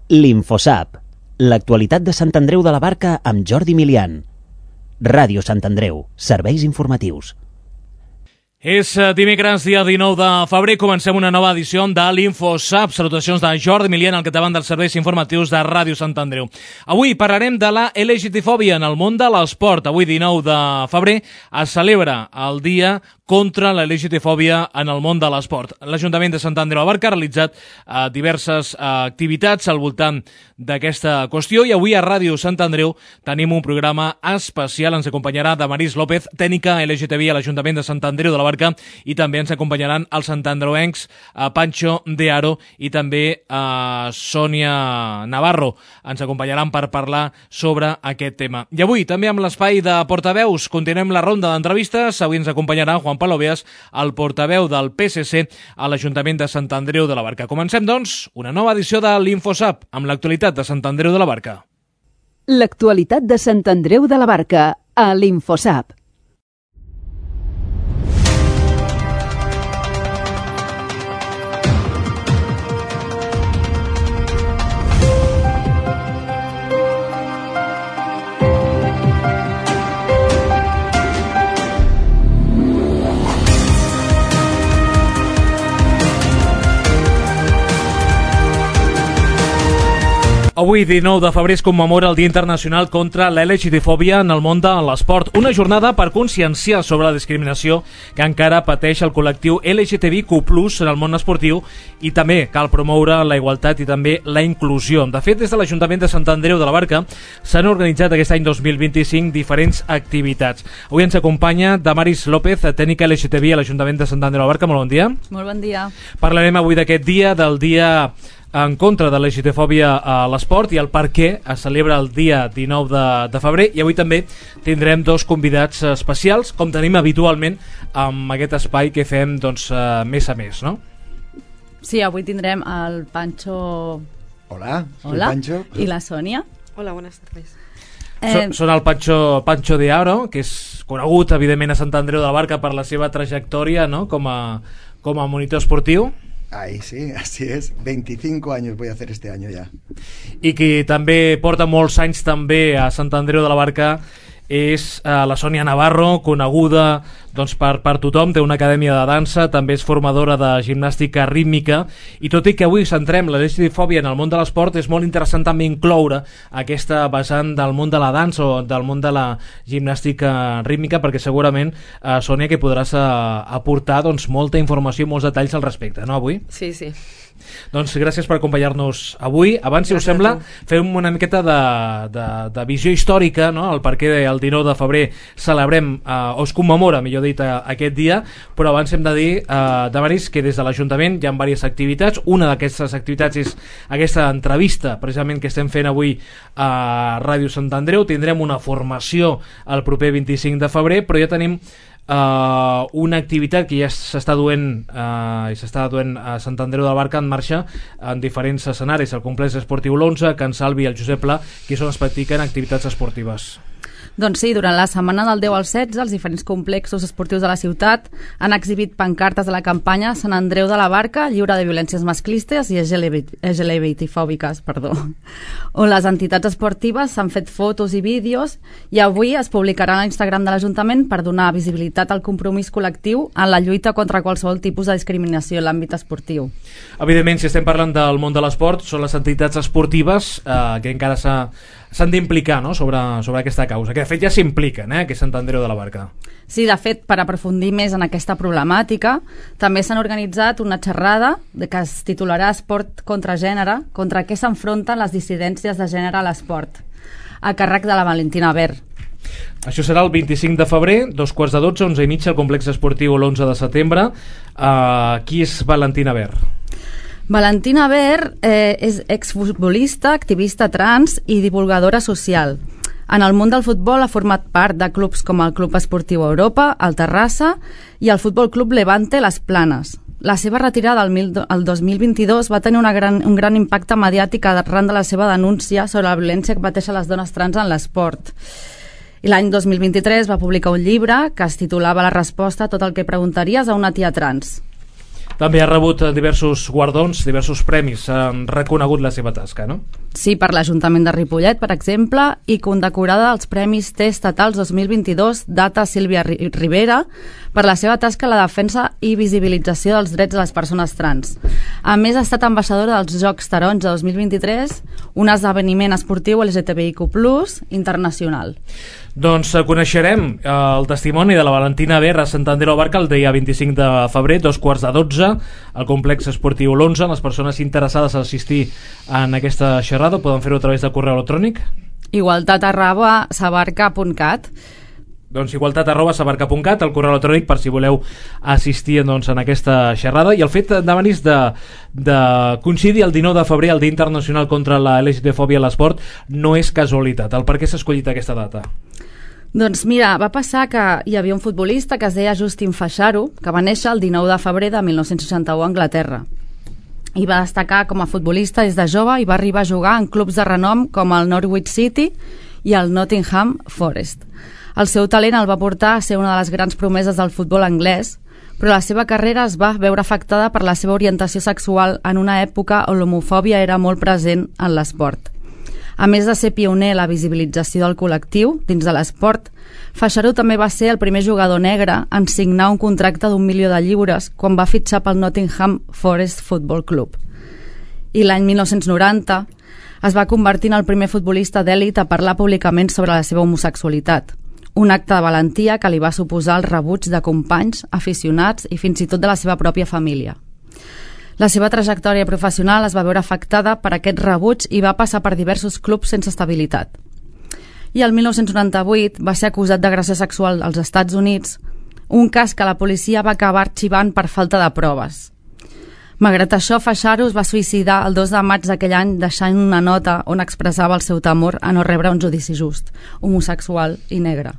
L'Infosap, l'actualitat de Sant Andreu de la Barca amb Jordi Milian. Ràdio Sant Andreu, serveis informatius. És dimecres, dia 19 de febrer, comencem una nova edició de l'Infosap. Salutacions de Jordi Milian, al capdavant dels serveis informatius de Ràdio Sant Andreu. Avui parlarem de la LGTfòbia en el món de l'esport. Avui, 19 de febrer, es celebra el dia contra la LGTfòbia en el món de l'esport. L'Ajuntament de Sant Andreu de la Barca ha realitzat diverses activitats al voltant d'aquesta qüestió i avui a Ràdio Sant Andreu tenim un programa especial. Ens acompanyarà Damaris López, tècnica LGTBI a l'Ajuntament de Sant Andreu de la Barca, i també ens acompanyaran els santandreuencs Pancho de Aro i també Sònia Navarro. Ens acompanyaran per parlar sobre aquest tema. I avui també amb l'espai de portaveus continuem la ronda d'entrevistes. Avui ens acompanyarà Juan Pablo Beas, el portaveu del PSC a l'Ajuntament de Sant Andreu de la Barca. Comencem, doncs, una nova edició de l'Infosap amb l'actualitat de Sant Andreu de la Barca. L'actualitat de Sant Andreu de la Barca a l'Infosap. Avui, 19 de febrer, es commemora el Dia Internacional contra la LGTfòbia en el món de l'esport. Una jornada per conscienciar sobre la discriminació que encara pateix el col·lectiu LGTBIQ+ en el món esportiu, i també cal promoure la igualtat i també la inclusió. De fet, des de l'Ajuntament de Sant Andreu de la Barca s'han organitzat aquest any 2025 diferents activitats. Avui ens acompanya Damaris López, tècnica LGTBI a l'Ajuntament de Sant Andreu de la Barca. Molt bon dia. Molt bon dia. Parlarem avui d'aquest dia, del dia en contra de la LGTfòbia a l'esport i el per què es celebra el dia 19 de febrer, i avui també tindrem dos convidats especials, com tenim habitualment amb aquest espai que fem mes a mes, no? Sí, avui tindrem el Pancho. Hola, soy Pancho. I la Sònia. Hola, buenas tardes. Són el Pancho de Aro, que és conegut evidentment a Sant Andreu de la Barca per la seva trajectòria, no? com a monitor esportiu. Ahí sí, así es. 25 años voy a hacer este año ya. I qui també porta molts anys també a Sant Andreu de la Barca és la Sònia Navarro, coneguda per tothom, té una acadèmia de dansa, també és formadora de gimnàstica rítmica, i tot i que avui centrem la LGTfòbia en el món de l'esport, és molt interessant també incloure aquesta vessant del món de la dansa o del món de la gimnàstica rítmica, perquè segurament, Sònia, que podràs aportar molta informació i molts detalls al respecte, no, avui? Sí, sí. Doncs gràcies per acompanyar-nos avui. Abans, si us sembla, fem una miqueta de visió històrica, no? El perquè el 19 de febrer celebrem, o es commemora, millor dit, aquest dia, però abans hem de dir, Damaris, que des de l'Ajuntament hi ha diverses activitats. Una d'aquestes activitats és aquesta entrevista, precisament, que estem fent avui a Ràdio Sant Andreu. Tindrem una formació el proper 25 de febrer, però ja tenim una activitat que ja s'està duent a Sant Andreu de la Barca en marxa en diferents escenaris, el complex esportiu l'11, Can Salvi i el Josep Pla, que és on es practiquen activitats esportives. Doncs sí, durant la setmana del 10 al 16 els diferents complexos esportius de la ciutat han exhibit pancartes de la campanya Sant Andreu de la Barca, lliure de violències masclistes i LGBTfòbiques, on les entitats esportives s'han fet fotos i vídeos, i avui es publicarà a l'Instagram de l'Ajuntament per donar visibilitat al compromís col·lectiu en la lluita contra qualsevol tipus de discriminació en l'àmbit esportiu. Evidentment, si estem parlant del món de l'esport, són les entitats esportives que encara s'han d'implicar, no? sobre aquesta causa, que de fet ja s'impliquen, que és Sant Andreu de la Barca. Sí, de fet, per aprofundir més en aquesta problemàtica, també s'han organitzat una xerrada que es titularà Esport contra gènere, contra què s'enfronten les dissidències de gènere a l'esport, a càrrec de la Valentina Ver. Això serà el 25 de febrer, 12:15, 11:30, al complex esportiu l'11 de setembre. Qui és Valentina Ver? Valentina Ver és exfutbolista, activista trans i divulgadora social. En el món del futbol ha format part de clubs com el Club Esportiu Europa, el Terrassa i el Futbol Club Levante Les Planes. La seva retirada el 2022 va tenir un gran impacte mediàtic arran de la seva denúncia sobre la violència que pateixen les dones trans en l'esport. I l'any 2023 va publicar un llibre que es titulava La resposta a tot el que preguntaries a una tia trans. També ha rebut diversos guardons, diversos premis, han reconegut la seva tasca, no? Sí, per l'Ajuntament de Ripollet, per exemple, i condecorada als Premis T Estatals 2022 data Sílvia Rivera per la seva tasca en la defensa i visibilització dels drets de les persones trans. A més, ha estat ambaixadora dels Jocs Taronja 2023, un esdeveniment esportiu LGTBIQ+ internacional. Doncs coneixerem el testimoni de la Valentina Ver a Sant Andreu de la Barca el dia 25 de febrer, 2:15, al complex esportiu l'11. Les persones interessades a assistir en aquesta xerrada poden fer-ho a través de correu electrònic. igualtat@sabarca.cat. Doncs igualtat@sabarca.cat, el correu electrònic per si voleu assistir doncs, en aquesta xerrada. I el fet de venir de coincidir el 19 de febrer, el Dia Internacional contra la LGTB-fòbia a l'esport, no és casualitat. El per què s'ha escollit aquesta data? Doncs mira, va passar que hi havia un futbolista que es deia Justin Fashanu, que va néixer el 19 de febrer de 1961 a Anglaterra. I va destacar com a futbolista des de jove i va arribar a jugar en clubs de renom com el Norwich City i el Nottingham Forest. El seu talent el va portar a ser una de les grans promeses del futbol anglès, però la seva carrera es va veure afectada per la seva orientació sexual en una època on l'homofòbia era molt present en l'esport. A més de ser pioner en la visibilització del col·lectiu dins de l'esport, Fashanu també va ser el primer jugador negre en signar un contracte d'1 milió de lliures quan va fitxar pel Nottingham Forest Football Club. I l'any 1990 es va convertir en el primer futbolista d'èlit a parlar públicament sobre la seva homosexualitat, un acte de valentia que li va suposar el rebuig de companys, aficionats i fins i tot de la seva pròpia família. La seva trajectòria professional es va veure afectada per aquest rebuig i va passar per diversos clubs sense estabilitat. I el 1998 va ser acusat d'agressió sexual als Estats Units, un cas que la policia va acabar arxivant per falta de proves. Malgrat això, Fashanu es va suïcidar el 2 de maig d'aquell any deixant una nota on expressava el seu temor a no rebre un judici just, homosexual i negre.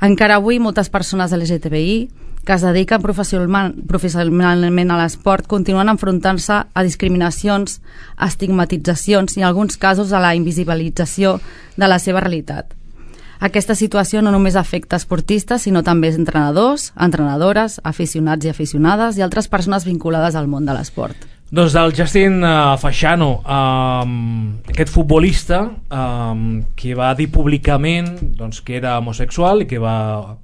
Encara avui, moltes persones LGTBI que es dediquen professionalment a l'esport continuen enfrontant-se a discriminacions, a estigmatitzacions i en alguns casos a la invisibilització de la seva realitat. Aquesta situació no només afecta esportistes, sinó també entrenadors, entrenadores, aficionats i aficionades i altres persones vinculades al món de l'esport. Doncs del Justin Fashanu, aquest futbolista que va dir públicament doncs, que era homosexual i que va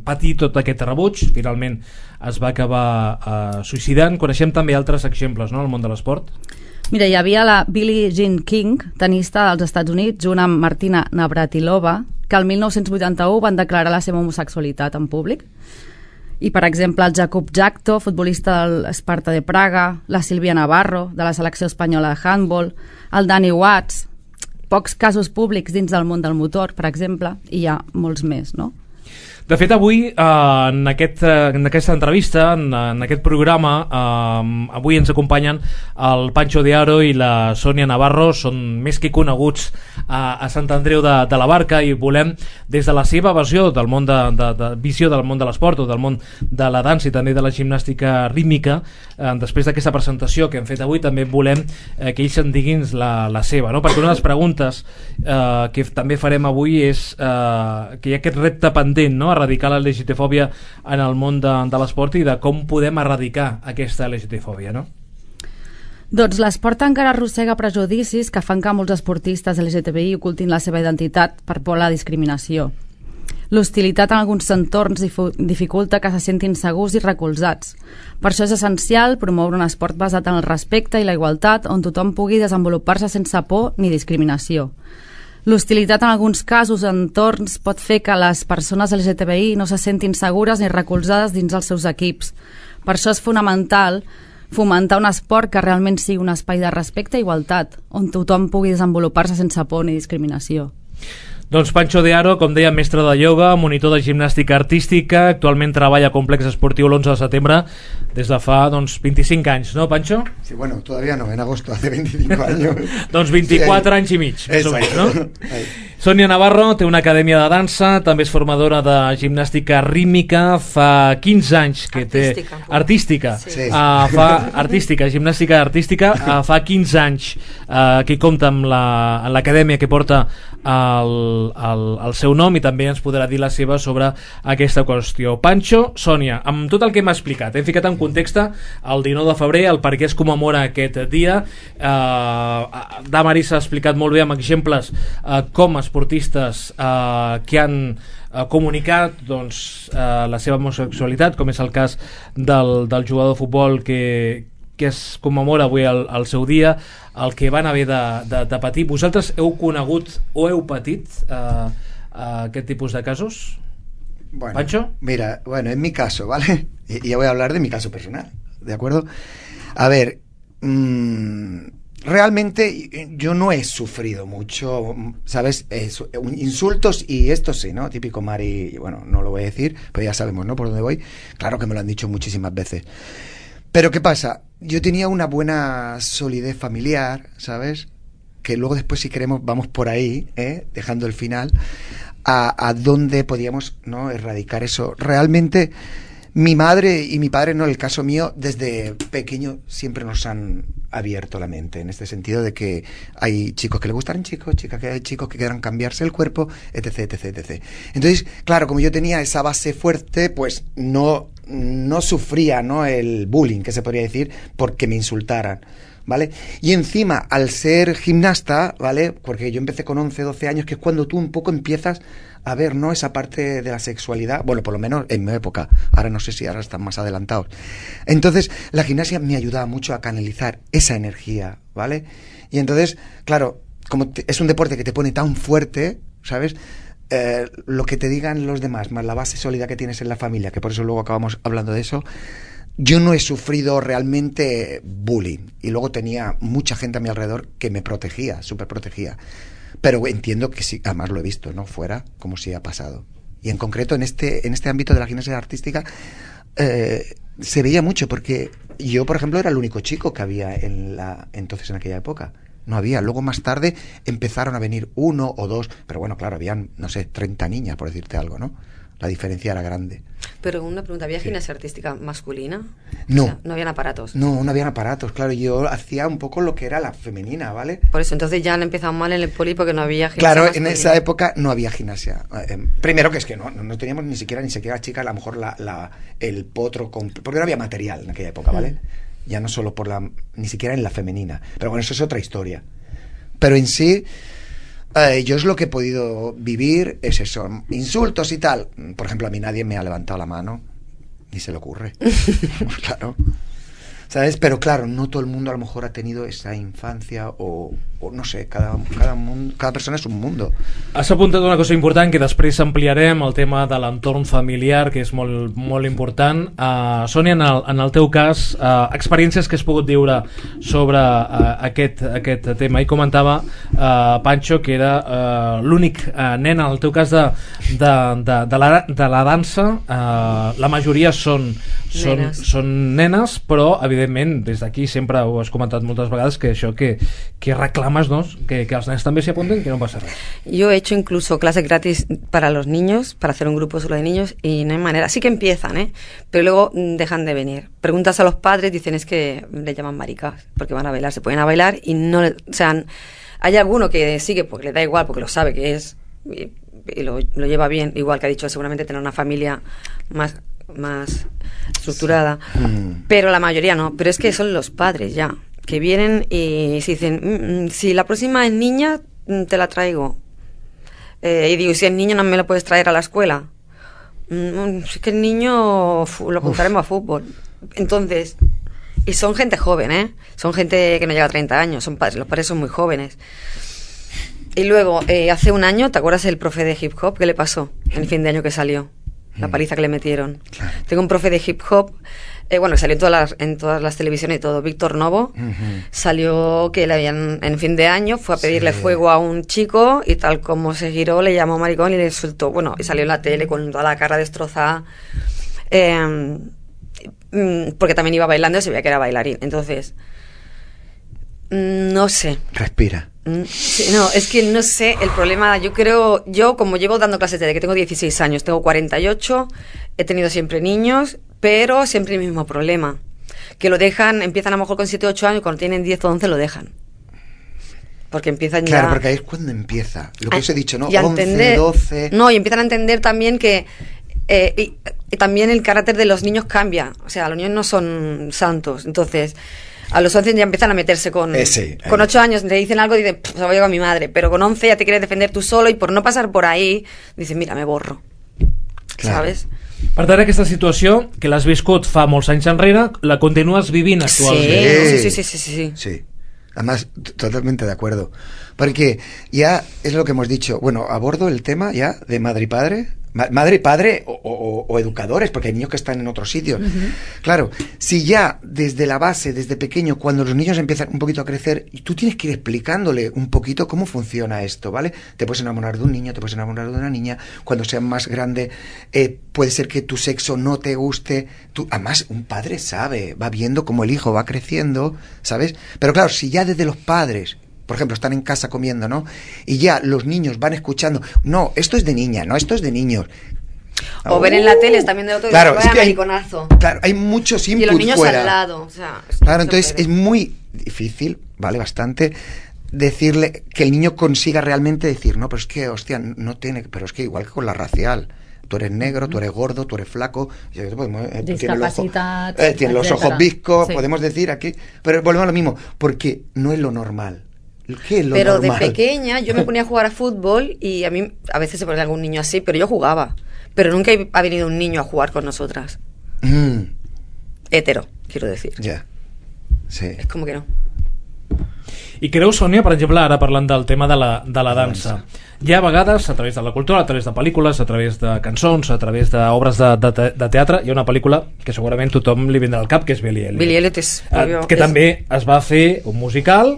patir tot aquest rebuig, finalment es va acabar suïcidant. Coneixem també altres exemples, no?, al món de l'esport. Mira, hi havia la Billie Jean King, tenista dels Estats Units, junt amb Martina Navratilova, que el 1981 van declarar la seva homosexualitat en públic. I, per exemple, el Jakub Jakto, futbolista del Sparta de Praga, la Sílvia Navarro, de la selecció espanyola de handball, el Danny Watts, pocs casos públics dins del món del motor, per exemple, i hi ha molts més, no? De fet, avui, en aquesta entrevista, en aquest programa, avui ens acompanyen el Pancho de Aro i la Sònia Navarro, són més que coneguts a Sant Andreu de la Barca, i volem, des de la seva visió del món visió del món de l'esport o del món de la dansa i també de la gimnàstica rítmica, després d'aquesta presentació que hem fet avui, també volem que ells en diguin la seva, no? Perquè una de les preguntes que també farem avui és que hi ha aquest repte pendent, no?, erradicar la LGTB-fòbia en el món de l'esport i de com podem erradicar aquesta LGTB-fòbia, no? Doncs l'esport encara arrossega prejudicis que fan que molts esportistes LGTBI ocultin la seva identitat per por a la discriminació. L'hostilitat en alguns entorns dificulta que se sentin segurs i recolzats. Per això és essencial promoure un esport basat en el respecte i la igualtat on tothom pugui desenvolupar-se sense por ni discriminació. L'hostilitat en alguns casos o entorns pot fer que les persones LGTBI no se sentin segures ni recolzades dins els seus equips. Per això és fonamental fomentar un esport que realment sigui un espai de respecte i igualtat, on tothom pugui desenvolupar-se sense por ni discriminació. Doncs Pancho de Aro, com deia, mestre de ioga, monitor de gimnàstica artística, actualment treballa a Complex Esportiu l'11 de setembre des de fa 25 anys, ¿no, Pancho? Sí, bueno, todavía no, en agosto, hace 25 años. Doncs 24 anys i mig, més o menys, no? Sònia Navarro té una acadèmia de dansa, també és formadora de gimnàstica rítmica, fa 15 anys que artística. Sí. Artística, gimnàstica artística, fa 15 anys que compta amb l'acadèmia que porta el seu nom, i també ens podrà dir la seva sobre aquesta qüestió. Pancho, Sònia, amb tot el que m'ha explicat, hem ficat en context el 19 de febrer, el per què es commemora aquest dia. Damaris ha explicat molt bé amb exemples com esportistes que han comunicat la seva homosexualitat, com és el cas del jugador de futbol que es commemora avui el seu dia, el que van haver de patir. Vosaltres heu conegut o heu patit aquest tipus de casos? Bueno, ¿Pancho? Mira, en mi caso, ¿vale? Y ya voy a hablar de mi caso personal, ¿de acuerdo? A ver, realmente yo no he sufrido mucho, ¿sabes? Insultos y esto sí, ¿no? Típico Mari, bueno, no lo voy a decir, pero ya sabemos, ¿no? Por dónde voy. Claro que me lo han dicho muchísimas veces. Pero ¿qué pasa? Yo tenía una buena solidez familiar, ¿sabes? Que luego después, si queremos, vamos por ahí, dejando el final, a dónde podíamos, ¿no?, erradicar eso. Realmente mi madre y mi padre, no, en el caso mío, desde pequeño siempre nos han abierto la mente, en este sentido de que hay chicos que le gustan chicos, chicas que hay chicos que quieran cambiarse el cuerpo, etc, etc, etc. Entonces, claro, como yo tenía esa base fuerte, pues no sufría, ¿no?, el bullying, que se podría decir, porque me insultaran, ¿vale? Y encima, al ser gimnasta, ¿vale?, porque yo empecé con 11, 12 años, que es cuando tú un poco empiezas a ver, ¿no?, esa parte de la sexualidad, bueno, por lo menos en mi época, ahora no sé si ahora están más adelantados. Entonces, la gimnasia me ayudaba mucho a canalizar esa energía, ¿vale? Y entonces, claro, como es un deporte que te pone tan fuerte, ¿sabes?, lo que te digan los demás, más la base sólida que tienes en la familia, que por eso luego acabamos hablando de eso, yo no he sufrido realmente bullying. Y luego tenía mucha gente a mi alrededor que me protegía, súper protegía. Pero entiendo que sí, además lo he visto, ¿no?, fuera, como si ha pasado. Y en concreto en este ámbito de la gimnasia artística se veía mucho, porque yo, por ejemplo, era el único chico que había entonces en aquella época. No había. Luego, más tarde, empezaron a venir 1 o 2, pero bueno, claro, habían, no sé, 30 niñas, por decirte algo, ¿no? La diferencia era grande. Pero una pregunta, ¿había gimnasia artística masculina? No. O sea, ¿no habían aparatos? No habían aparatos, claro. Yo hacía un poco lo que era la femenina, ¿vale? Por eso, entonces ya han empezado mal en el poli porque no había gimnasia Claro, masculina. en esa época no había gimnasia. Primero que es que no teníamos ni siquiera chicas, a lo mejor el potro, porque no había material en aquella época, ¿vale? Ya no solo ni siquiera en la femenina. Pero bueno, eso es otra historia. Pero en sí, yo es lo que he podido vivir, es eso, insultos y tal. Por ejemplo, a mí nadie me ha levantado la mano, ni se le ocurre. Claro. ¿Sabes? Pero claro, no todo el mundo a lo mejor ha tenido esa infancia o no sé, cada persona es un mundo. Has apuntat una cosa important que després ampliarem, el tema de l'entorn familiar, que és molt, molt important. Sònia, en el teu cas, experiències que has pogut viure sobre aquest tema. I comentava Pancho que era l'únic nen, en el teu cas de la dansa, la majoria són nenes, però evidentment des d'aquí sempre ho has comentat moltes vegades, que això que reclames, ¿no?, que els nens també s'hi apunten, que no pasa nada. Yo he hecho incluso clases gratis para los niños, para hacer un grupo solo de niños, y no hay manera. Sí que empiezan, pero luego dejan de venir. Preguntas a los padres, dicen es que le llaman maricas, porque van a bailar, se ponen a bailar y no, o sea, hay alguno que sigue porque le da igual, porque lo sabe que es y lo lleva bien, igual que ha dicho, seguramente tener una familia más estructurada, pero la mayoría no. Pero es que son los padres ya que vienen y se dicen, si la próxima es niña, te la traigo. Y digo, si es niño, no me lo puedes traer a la escuela. Es que el niño lo apuntaremos a fútbol. Entonces, y son gente joven, son gente que no llega a 30 años, los padres son muy jóvenes. Y luego, hace un año, ¿te acuerdas el profe de hip hop? ¿Qué le pasó en el fin de año que salió? La paliza que le metieron. Claro. Tengo un profe de hip hop, salió en todas las televisiones y todo, Víctor Novo, salió que le habían, en fin de año, fue a pedirle fuego a un chico y tal como se giró, le llamó maricón y le insultó, y salió en la tele con toda la cara destrozada, porque también iba bailando y se veía que era bailarín. Entonces, no sé. Respira. Sí, no, es que no sé, el problema, yo como llevo dando clases desde que tengo 16 años, tengo 48, he tenido siempre niños, pero siempre el mismo problema, que lo dejan, empiezan a lo mejor con 7 o 8 años, cuando tienen 10 o 11 lo dejan. Porque empiezan ya... Claro, porque ahí es cuando empieza, lo que os he dicho, ¿no? Y 11, 12... No, y empiezan a entender también que... y también el carácter de los niños cambia, o sea, los niños no son santos, entonces... A los 11 ya empiezan a meterse con 8 años, le dicen algo y dicen, se va a llevar a mi madre. Pero con 11 ya te quieres defender tú solo y por no pasar por ahí, dices, mira, me borro. Claro. ¿Sabes? Per tant, aquesta situació, que l'has viscut fa molts anys enrere, la continues vivint actualment. Sí. Además, totalmente de acuerdo. Porque ya es lo que hemos dicho. Bueno, abordo el tema ya de madre y padre. Madre y padre o educadores, porque hay niños que están en otros sitios. Claro, si ya desde la base, desde pequeño, cuando los niños empiezan un poquito a crecer, y tú tienes que ir explicándole un poquito cómo funciona esto, ¿vale? Te puedes enamorar de un niño, te puedes enamorar de una niña, cuando seas más grande puede ser que tu sexo no te guste. Además, un padre sabe, va viendo cómo el hijo va creciendo, ¿sabes? Pero claro, si ya desde los padres... Por ejemplo, están en casa comiendo, ¿no? Y ya los niños van escuchando, no, esto es de niña, no, esto es de niños. O ver en la tele también de otro, claro, es que hay muchos inputs y los niños fuera. Al lado, o sea, claro, entonces es muy difícil, ¿vale? Bastante decirle que el niño consiga realmente decir, no, pero es que, hostia, no tiene, pero es que igual que con la racial. Tú eres negro, tú eres gordo, tú eres flaco, tienes los ojos viscos, sí. Podemos decir aquí, pero volvemos a lo mismo, porque no es lo normal. ¿Qué es lo pero normal? De pequeña yo me ponía a jugar a fútbol y a mí a veces se ponía algún niño así, pero yo jugaba. Pero nunca ha venido un niño a jugar con nosotras. Hetero, quiero decir. Ja, sí. És com que no. I creu, Sònia, per exemple, ara parlant del tema de la dansa, hi ha vegades, a través de la cultura, a través de pel·lícules, a través de cançons, a través d'obres de teatre, hi ha una pel·lícula que segurament tothom li vindrà al cap, que és Billy Elliot. Billy Elliot és... que també es va fer un musical,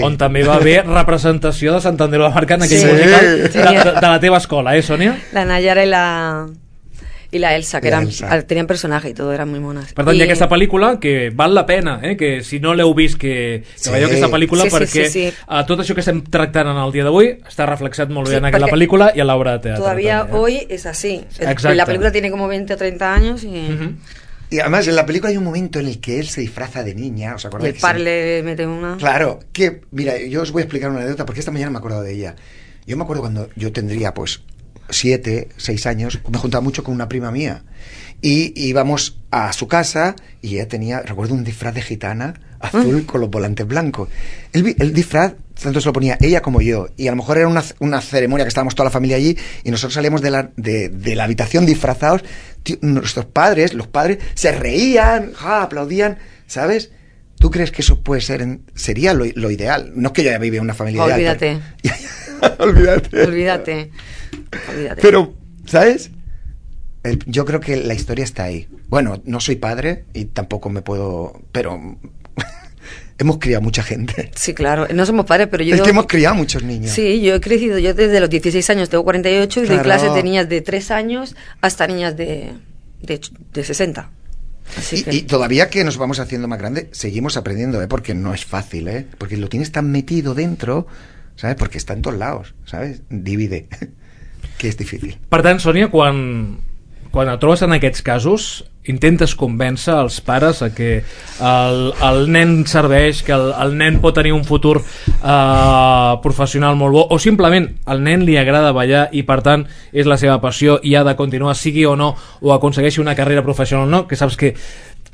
on també va haver representació de Sant Andreu de la Barca en aquell musical de la teva escola, Sònia? La Nayara y la Elsa, que tenían personaje y todo, eran muy monas. Per tant, hi ha aquesta pel·lícula que val la pena, que si no l'heu vist, que veieu aquesta pel·lícula, perquè tot això que estem tractant en el dia d'avui està reflexat molt bé en aquella pel·lícula y en l'obra de teatre. Todavía hoy es así. La película tiene como 20 o 30 años y... Y además en la película hay un momento en el que él se disfraza de niña, ¿os acordáis? Y el padre le mete una... Claro, que, mira, yo os voy a explicar una anécdota, porque esta mañana me he acordado de ella. Yo me acuerdo cuando yo tendría, 7, 6 años, me juntaba mucho con una prima mía y íbamos a su casa y ella tenía, recuerdo, un disfraz de gitana azul con los volantes blancos. El disfraz tanto se lo ponía ella como yo, y a lo mejor era una ceremonia que estábamos toda la familia allí y nosotros salíamos de la habitación disfrazados. Nuestros padres, los padres, se reían, aplaudían, ¿sabes? ¿Tú crees que eso puede sería lo ideal? No es que yo ya vive en una familia ideal. Olvídate. Pero, ¿sabes? Yo creo que la historia está ahí. Bueno, no soy padre y tampoco me puedo... Pero hemos criado mucha gente. Sí, claro. No somos padres, pero yo... Es que hemos criado muchos niños. Sí, yo he crecido. Yo desde los 16 años tengo 48 y doy clases de niñas de 3 años hasta niñas de 60. Y todavía que nos vamos haciendo más grandes, seguimos aprendiendo, porque no es fácil, porque lo tienes tan metido dentro, ¿sabes? Porque está en todos lados, ¿sabes? Divide, que és difícil. Per tant, Sònia, quan et trobes en aquests casos, intentes convèncer els pares a que el nen serveix, que el nen pot tenir un futur professional molt bo, o simplement al nen li agrada ballar i per tant és la seva passió i ha de continuar, sigui o no, o aconsegueixi una carrera professional o no, que saps que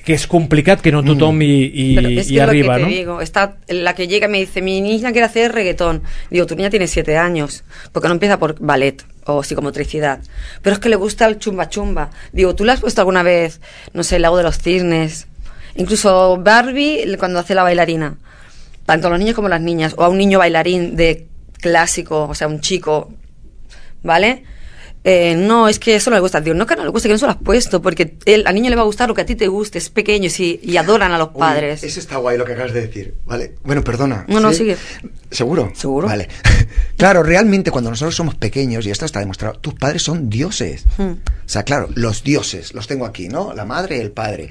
es complicado, que no tothom y arriba, ¿no? ¿no? Digo, está la que llega y me dice, mi niña quiere hacer reggaetón. Digo, tu niña tiene 7 años, porque no empieza por ballet o psicomotricidad, pero es que le gusta el chumba chumba. Digo, ¿tú le has puesto alguna vez, no sé, el lago de los cisnes? Incluso Barbie, cuando hace la bailarina, tanto los niños como las niñas, o a un niño bailarín de clásico, o sea, un chico, ¿vale? No, es que eso no le gusta. Digo, no que no le guste, que no se lo has puesto, porque al niño le va a gustar lo que a ti te guste, es pequeño y adoran a los padres. Eso está guay lo que acabas de decir, ¿vale? Bueno, perdona. No, sigue. ¿Seguro? Seguro. Vale. Claro, realmente cuando nosotros somos pequeños, y esto está demostrado, tus padres son dioses. O sea, claro, los dioses, los tengo aquí, ¿no? La madre y el padre.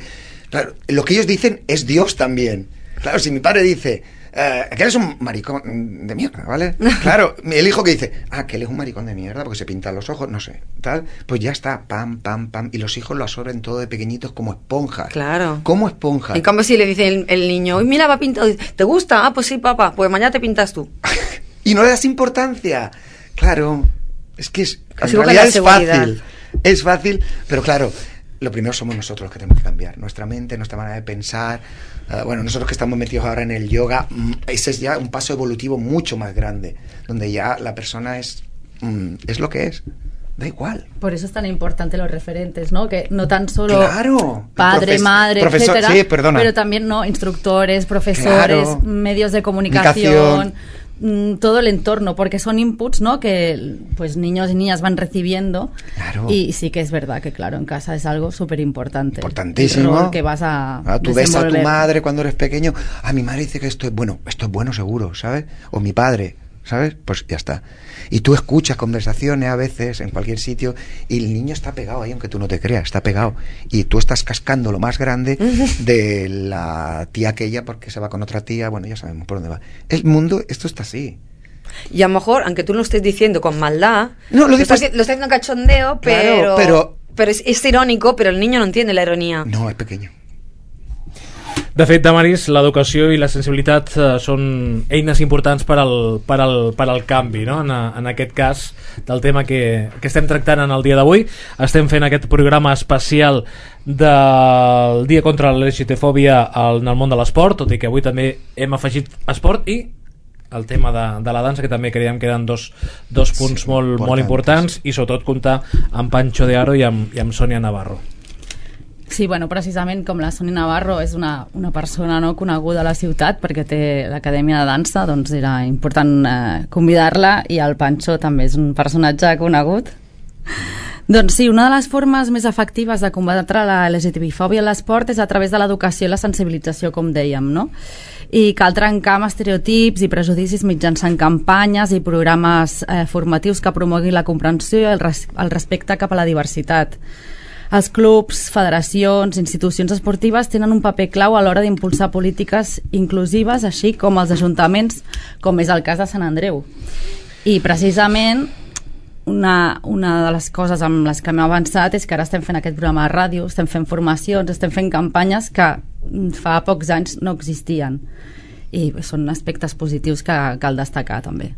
Claro, lo que ellos dicen es Dios también. Claro, si mi padre dice... que él es un maricón de mierda, ¿vale? Claro, el hijo que dice, que él es un maricón de mierda porque se pinta los ojos, no sé, tal, pues ya está, pam, pam, pam, y los hijos lo absorben todo de pequeñitos como esponjas. Claro. Como esponjas. En cambio, si le dice el niño, uy, mira, va pintado, ¿te gusta? Pues sí, papá, pues mañana te pintas tú. Y no le das importancia. Claro, es que en Así realidad seguridad. es fácil, pero claro, lo primero somos nosotros los que tenemos que cambiar, nuestra mente, nuestra manera de pensar. Bueno, nosotros que estamos metidos ahora en el yoga, ese es ya un paso evolutivo mucho más grande, donde ya la persona es lo que es. Da igual. Por eso es tan importante los referentes, ¿no? Que no tan solo claro, padre, madre, profesor, etcétera, sí, perdona. pero también no instructores, profesores, claro, medios de comunicación, todo el entorno, porque son inputs, ¿no? Que pues niños y niñas van recibiendo. Claro. Y sí que es verdad que claro, en casa es algo súper importante. Importantísimo. El rol que vas a tú ves a tu desenvolver. madre cuando eres pequeño, mi madre dice que esto es bueno seguro, ¿sabes? O mi padre, ¿sabes? Pues ya está. Y tú escuchas conversaciones a veces en cualquier sitio y el niño está pegado ahí, aunque tú no te creas, está pegado. Y tú estás cascando lo más grande de la tía aquella porque se va con otra tía, bueno, ya sabemos por dónde va. El mundo, esto está así. Y a lo mejor, aunque tú lo estés diciendo con maldad, No, lo estás diciendo cachondeo, claro, pero es irónico, pero el niño no entiende la ironía. No, es pequeño. De fet, Damaris, l'educació i la sensibilitat són eines importants per al canvi, no? En aquest cas, del tema que estem tractant en el dia d'avui. Estem fent aquest programa especial del Dia contra la LGTfòbia en el món de l'esport, tot i que avui també hem afegit esport i el tema de la dansa, que també creiem que eren dos punts molt importants, i sobretot comptar amb Pancho de Aro i amb Sònia Navarro. Sí, bueno, precisament com la Sònia Navarro és una persona no coneguda a la ciutat perquè té l'acadèmia de dansa, doncs era important convidar-la, i el Pancho també és un personatge conegut. Doncs sí, una de les formes més efectives de combatre la LGTBI-fòbia a l'esport és a través de l'educació i la sensibilització, com dèiem, no? I cal trencar amb estereotips i prejudicis mitjançant campanyes i programes formatius que promoguin la comprensió i el respecte cap a la diversitat. Els clubs, federacions, institucions esportives tenen un paper clau a l'hora d'impulsar polítiques inclusives, així com els ajuntaments, com és el cas de Sant Andreu. I precisament una de les coses amb les que m'he avançat és que ara estem fent aquest programa de ràdio, estem fent formacions, estem fent campanyes que fa pocs anys no existien. I són aspectes positius que cal destacar també.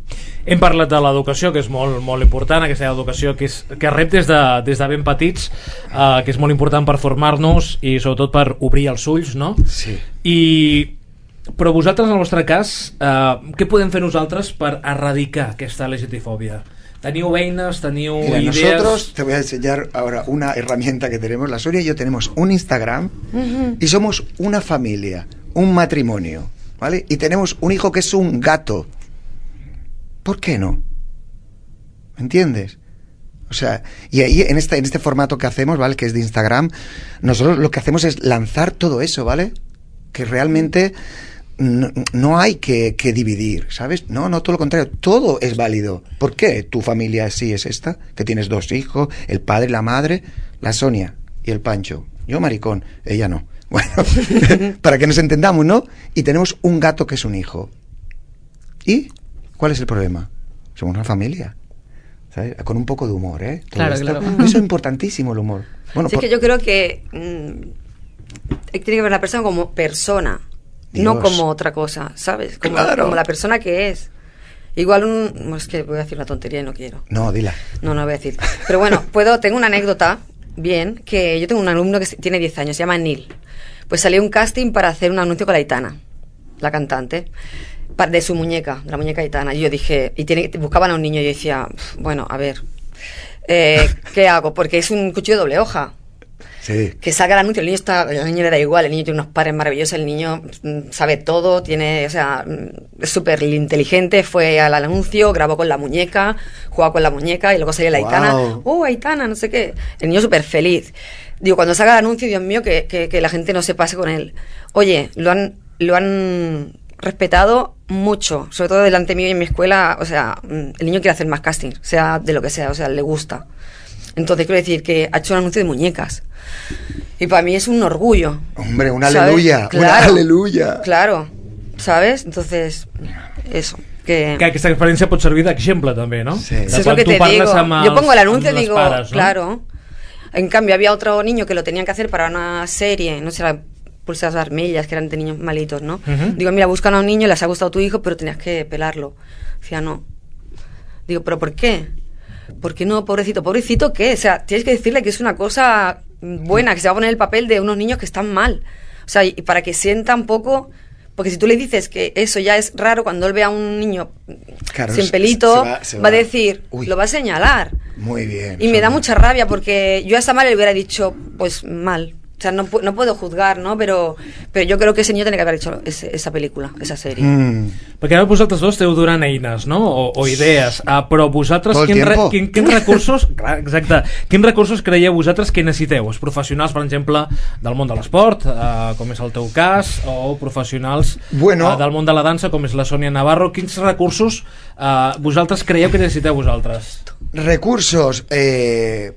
Hem parlat de l'educació, que és molt important, aquesta educació que rep des de ben petits, que és molt important per formar-nos i sobretot per obrir els ulls, no? Sí. Però vosaltres, en el vostre cas, què podem fer nosaltres per erradicar aquesta LGTfòbia? ¿Teniu eines, teniu ideas? Nosotros, te voy a enseñar ahora una herramienta que tenemos. La Sonia y yo tenemos un Instagram y somos una familia, un matrimonio, ¿vale? Y tenemos un hijo que es un gato. ¿Por qué no? ¿Me entiendes? O sea, y ahí en este formato que hacemos, ¿vale? Que es de Instagram, nosotros lo que hacemos es lanzar todo eso, ¿vale? Que realmente no hay que dividir, ¿sabes? No, todo lo contrario, todo es válido. ¿Por qué tu familia sí es esta? Que tienes 2 hijos, el padre, la madre, la Sonia y el Pancho. Yo maricón, ella no. Bueno, para que nos entendamos, ¿no? Y tenemos un gato que es un hijo. ¿Y cuál es el problema? Somos una familia, ¿sabes? Con un poco de humor, ¿eh? Claro. Eso es importantísimo, el humor. Bueno, sí, es que yo creo que tiene que ver la persona como persona, Dios. no como otra cosa, ¿sabes? Como la persona que es. Igual es que voy a decir una tontería y no quiero. No, dila. No voy a decir. Pero bueno, tengo una anécdota, bien, que yo tengo un alumno que tiene 10 años, se llama Neil. Pues salió un casting para hacer un anuncio con la Aitana, la cantante, de su muñeca, de la muñeca Aitana. Y yo dije, buscaban a un niño y yo decía, bueno, a ver, ¿qué hago? Porque es un cuchillo de doble hoja. Sí. Que salga el anuncio, al niño le da igual, el niño tiene unos padres maravillosos, el niño sabe todo, es súper inteligente, fue al anuncio, grabó con la muñeca, jugaba con la muñeca y luego salió la Aitana, Aitana, no sé qué, el niño súper feliz. Digo, cuando salga el anuncio, Dios mío, que la gente no se pase con él. Oye, lo han respetado mucho, sobre todo delante mío y en mi escuela, o sea, el niño quiere hacer más casting, sea de lo que sea, o sea, le gusta. Entonces quiero decir que ha hecho un anuncio de muñecas. Y para mí es un orgullo. Hombre, una ¿sabes? aleluya, claro, una aleluya. Claro. ¿sabes? Entonces, eso. Que aquesta experiència pot servir d'exemple també, ¿no? Sí. Eso es lo que te digo. Yo pongo el anuncio y digo, pares, ¿no? claro. En cambio, había otro niño que lo tenían que hacer para una serie, no sé, las pulsas vermellas, que eran de niños malitos, ¿no? Digo, mira, buscan a un niño, les ha gustado tu hijo, pero tenías que pelarlo. Decía, no. Digo, ¿pero por qué? ¿Por qué no, pobrecito? ¿Pobrecito qué? O sea, tienes que decirle que es una cosa buena, que se va a poner el papel de unos niños que están mal. O sea, y para que sienta un poco... Porque si tú le dices que eso ya es raro, cuando él ve a un niño sin pelito, va a decir, lo va a señalar. Muy bien. Y me da mucha rabia porque yo a esa madre le hubiera dicho, pues mal. O sea, no puedo juzgar, ¿no? Pero yo creo que ese niño tiene que haber hecho esa película, esa serie. Perquè ara vosaltres dos esteu donant eines, no? O idees, però vosaltres quins recursos, clar, exacte, quins recursos creieu vosaltres que necessiteu? Els professionals, per exemple, del món de l'esport, com és el teu cas, o professionals del món de la dansa, com és la Sònia Navarro, quins recursos vosaltres creieu que necessiteu vosaltres? Recursos,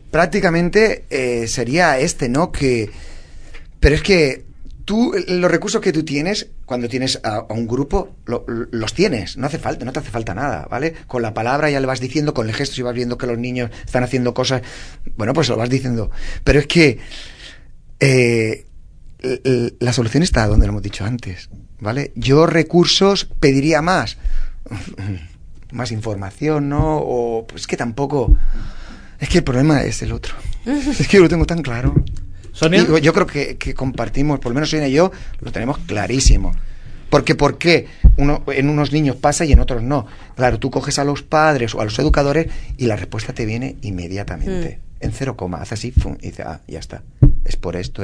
prácticamente sería ¿no? Pero es que tú, los recursos que tú tienes, cuando tienes a un grupo, los tienes, no te hace falta nada, ¿vale? Con la palabra ya le vas diciendo, con el gesto, si vas viendo que los niños están haciendo cosas, bueno, pues lo vas diciendo. Pero es que la solución está donde lo hemos dicho antes, ¿vale? Yo recursos pediría más información, ¿no? O pues que tampoco... Es que el problema es el otro. Es que yo lo tengo tan claro. ¿Sonia? Y yo creo que compartimos, por lo menos Sonia y yo, lo tenemos clarísimo. Porque ¿por qué en unos niños pasa y en otros no? Claro, tú coges a los padres o a los educadores y la respuesta te viene inmediatamente. En 0, hace así, y dice, ya está. Es por esto.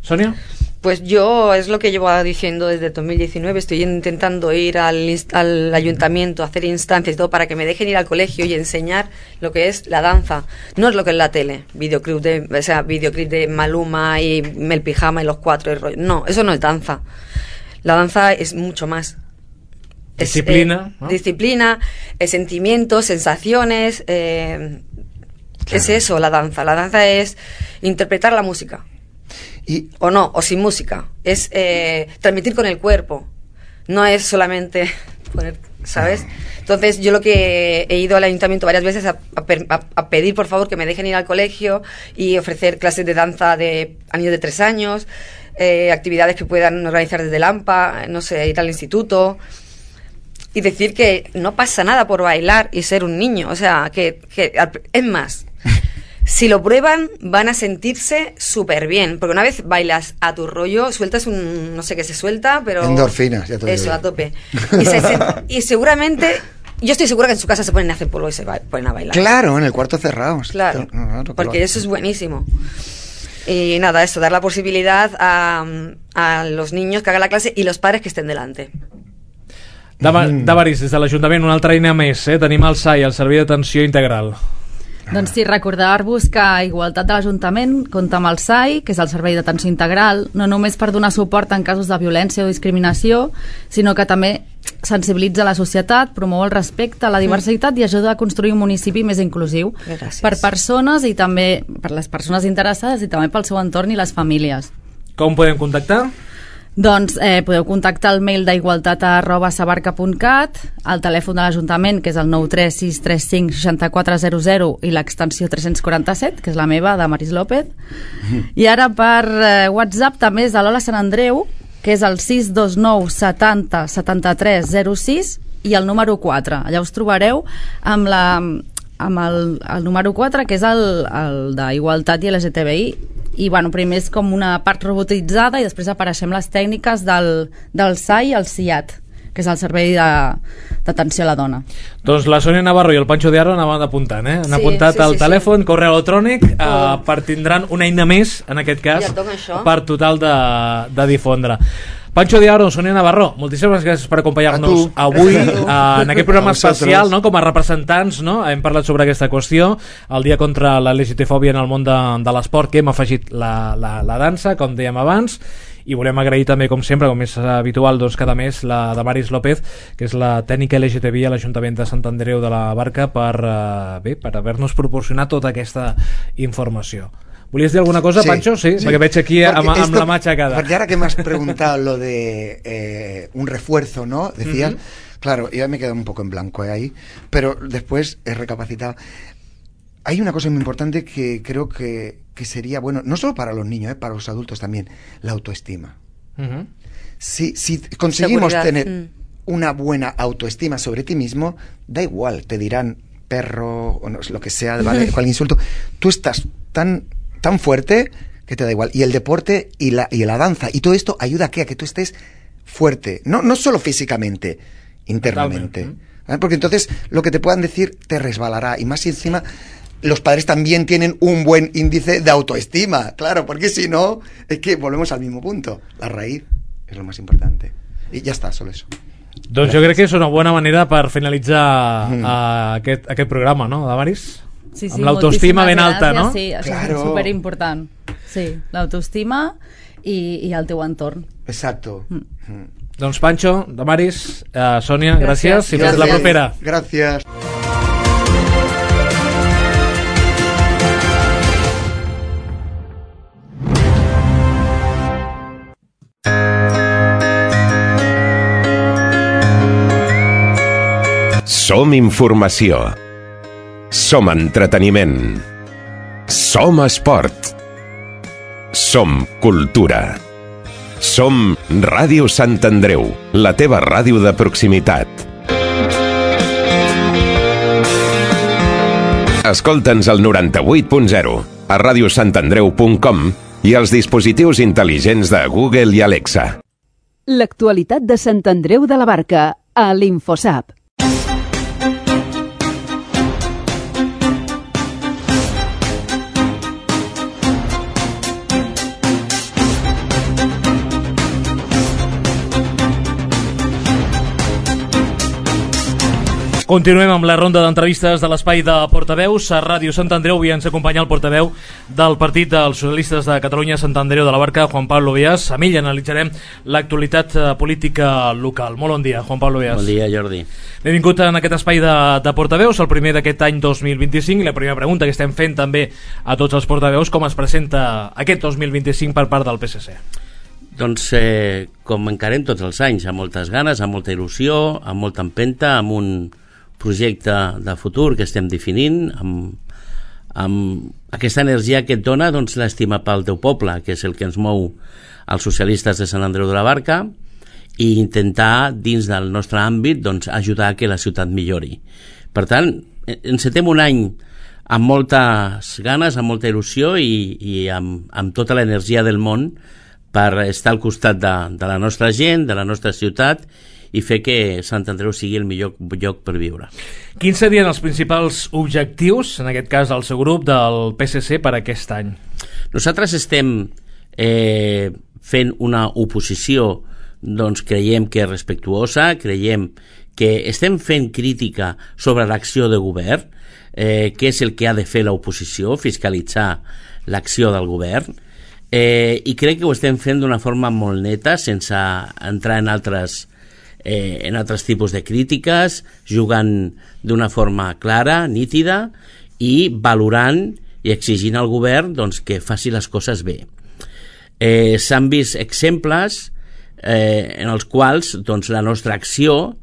Sonia? Pues yo es lo que llevo diciendo desde 2019, estoy intentando ir al ayuntamiento, hacer instancias y todo para que me dejen ir al colegio y enseñar lo que es la danza. No es lo que es la tele, videoclip de Maluma y el pijama y los 4 y rollo. No, eso no es danza. La danza es mucho más. Disciplina, ¿no? Disciplina, sentimientos, sensaciones. Claro. Es eso, la danza. La danza es interpretar la música. O sin música, es transmitir con el cuerpo, no es solamente poner, ¿sabes? Entonces yo lo que he ido al ayuntamiento varias veces a pedir por favor que me dejen ir al colegio y ofrecer clases de danza a niños de 3 años, actividades que puedan organizar desde el AMPA, no sé, ir al instituto y decir que no pasa nada por bailar y ser un niño, o sea, que es más. Si lo prueban, van a sentirse súper bien. Porque una vez bailas a tu rollo, sueltas no sé qué se suelta, pero... Endorfinas, ya te digo. Eso, a tope. Y seguramente... Yo estoy segura que en su casa se ponen a hacer polvo y se ponen a bailar. Claro, en el cuarto cerrado. Claro, porque eso es buenísimo. Y nada, eso, dar la posibilidad a los niños que hagan la clase y los padres que estén delante. Damaris, des de l'Ajuntament, una altra eina més, tenim el SAI, el Servei d'Atenció Integral. Doncs sí, recordar-vos que Igualtat de l'Ajuntament compta amb el SAI, que és el Servei d'Atenció Integral, no només per donar suport en casos de violència o discriminació, sinó que també sensibilitza la societat, promou el respecte a la diversitat i ajuda a construir un municipi més inclusiu. Gràcies. Per persones i també per les persones interessades i també pel seu entorn i les famílies. Com podem contactar? Doncs podeu contactar el mail d'igualtat@sabarca.cat, el telèfon de l'Ajuntament, que és el 936356400 i l'extensió 347, que és la meva, de Maris López. I ara per WhatsApp també és de l'Ola Sant Andreu, que és el 629 70 73 06 i el número 4. Allà us trobareu amb el número 4, que és el d'Igualtat i LGTBI. I bueno, primer és com una part robotitzada i després apareixem les tècniques del SAI i el SIAT, que és el Servei d'Atenció a la Dona. Doncs la Sònia Navarro i el Pancho de Aro anaven apuntant, Han apuntat el telèfon, correu electrònic, tindran una eina més, en aquest cas, per total de difondre. Pancho de Aro, Sònia Navarro, moltíssimes gràcies per acompanyar-nos avui en aquest programa especial, no? Com a representants, no? Hem parlat sobre aquesta qüestió, el dia contra la LGTfòbia en el món de l'esport, que hem afegit la dansa, com dèiem abans, i volem agrair també, com sempre, com és habitual, doncs, cada mes, la de Maris López, que és la tècnica LGTBI a l'Ajuntament de Sant Andreu de la Barca, per haver-nos proporcionat tota aquesta informació. ¿Volies dir alguna cosa, Pancho? Sí, perquè veig aquí amb la mà aixecada. Porque ahora que me has preguntado lo de un refuerzo, ¿no? Decías, claro, yo me he quedado un poco en blanco ahí, pero después he recapacitado. Hay una cosa muy importante que creo que sería bueno, no solo para los niños, para los adultos también, la autoestima. Si conseguimos tener una buena autoestima sobre ti mismo, da igual, te dirán perro o no, lo que sea, ¿vale? Cualquier insulto. Tú estás tan fuerte que te da igual. Y el deporte y la danza y todo esto ayuda a que tú estés fuerte, no solo físicamente, internamente. ¿Vale? Porque entonces lo que te puedan decir te resbalará. Y más si encima los padres también tienen un buen índice de autoestima, claro, porque si no, es que volvemos al mismo punto. La raíz es lo más importante. I ja està, solo eso. Doncs jo crec que és una bona manera per finalitzar aquest programa, no, Damaris? Sí, amb l'autoestima ben alta, no? Sí, això és superimportant. Sí, l'autoestima i el teu entorn. Exacto. Doncs Pancho, Damaris, Sònia, gràcies i fins la propera. Gràcies. Som informació. Som entreteniment. Som esport. Som cultura. Som Ràdio Sant Andreu, la teva ràdio de proximitat. Escolta'ns al 98.0, a radiosantandreu.com i als dispositius intel·ligents de Google i Alexa. L'actualitat de Sant Andreu de la Barca, a l'Infosap. Continuem amb la ronda d'entrevistes de l'espai de portaveus. A Ràdio Sant Andreu avui ens acompanya el portaveu del Partit dels Socialistes de Catalunya, Sant Andreu de la Barca, Juan Pablo Beas. Amb ell analitzarem l'actualitat política local. Molt bon dia, Juan Pablo Beas. Bon dia, Jordi. Benvingut en aquest espai de portaveus, el primer d'aquest any 2025, i la primera pregunta que estem fent també a tots els portaveus, com es presenta aquest 2025 per part del PSC? Doncs com encarem tots els anys, amb moltes ganes, amb molta il·lusió, amb molta empenta, amb un projecte de futur que estem definint, amb aquesta energia que et dona doncs, l'estima pel teu poble, que és el que ens mou els socialistes de Sant Andreu de la Barca, i intentar, dins del nostre àmbit, doncs, ajudar a que la ciutat millori. Per tant, encetem un any amb moltes ganes, amb molta il·lusió i amb tota l'energia del món per estar al costat de la nostra gent, de la nostra ciutat, i fer que Sant Andreu sigui el millor lloc per viure. Quins serien els principals objectius, en aquest cas del seu grup, del PSC per aquest any? Nosaltres estem fent una oposició, doncs creiem que és respectuosa, creiem que estem fent crítica sobre l'acció de govern, que és el que ha de fer l'oposició, fiscalitzar l'acció del govern, i crec que ho estem fent d'una forma molt neta, sense entrar en altres tipus de crítiques, jugant d'una forma clara, nítida, i valorant i exigint al govern doncs, que faci les coses bé. S'han vist exemples en els quals doncs, la nostra acció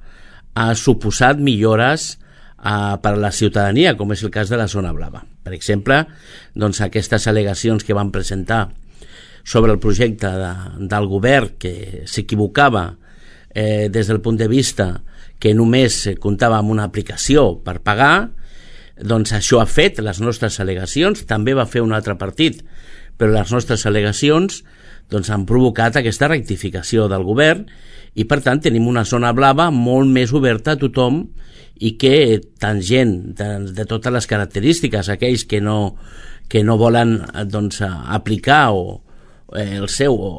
ha suposat millores per a la ciutadania, com és el cas de la zona blava. Per exemple, doncs, aquestes al·legacions que van presentar sobre el projecte del govern, que s'equivocava des del punt de vista que només comptava amb una aplicació per pagar, doncs això ha fet les nostres al·legacions, també va fer un altre partit, però les nostres al·legacions doncs, han provocat aquesta rectificació del govern i per tant tenim una zona blava molt més oberta a tothom i que tant gent de totes les característiques, aquells que no volen doncs, aplicar o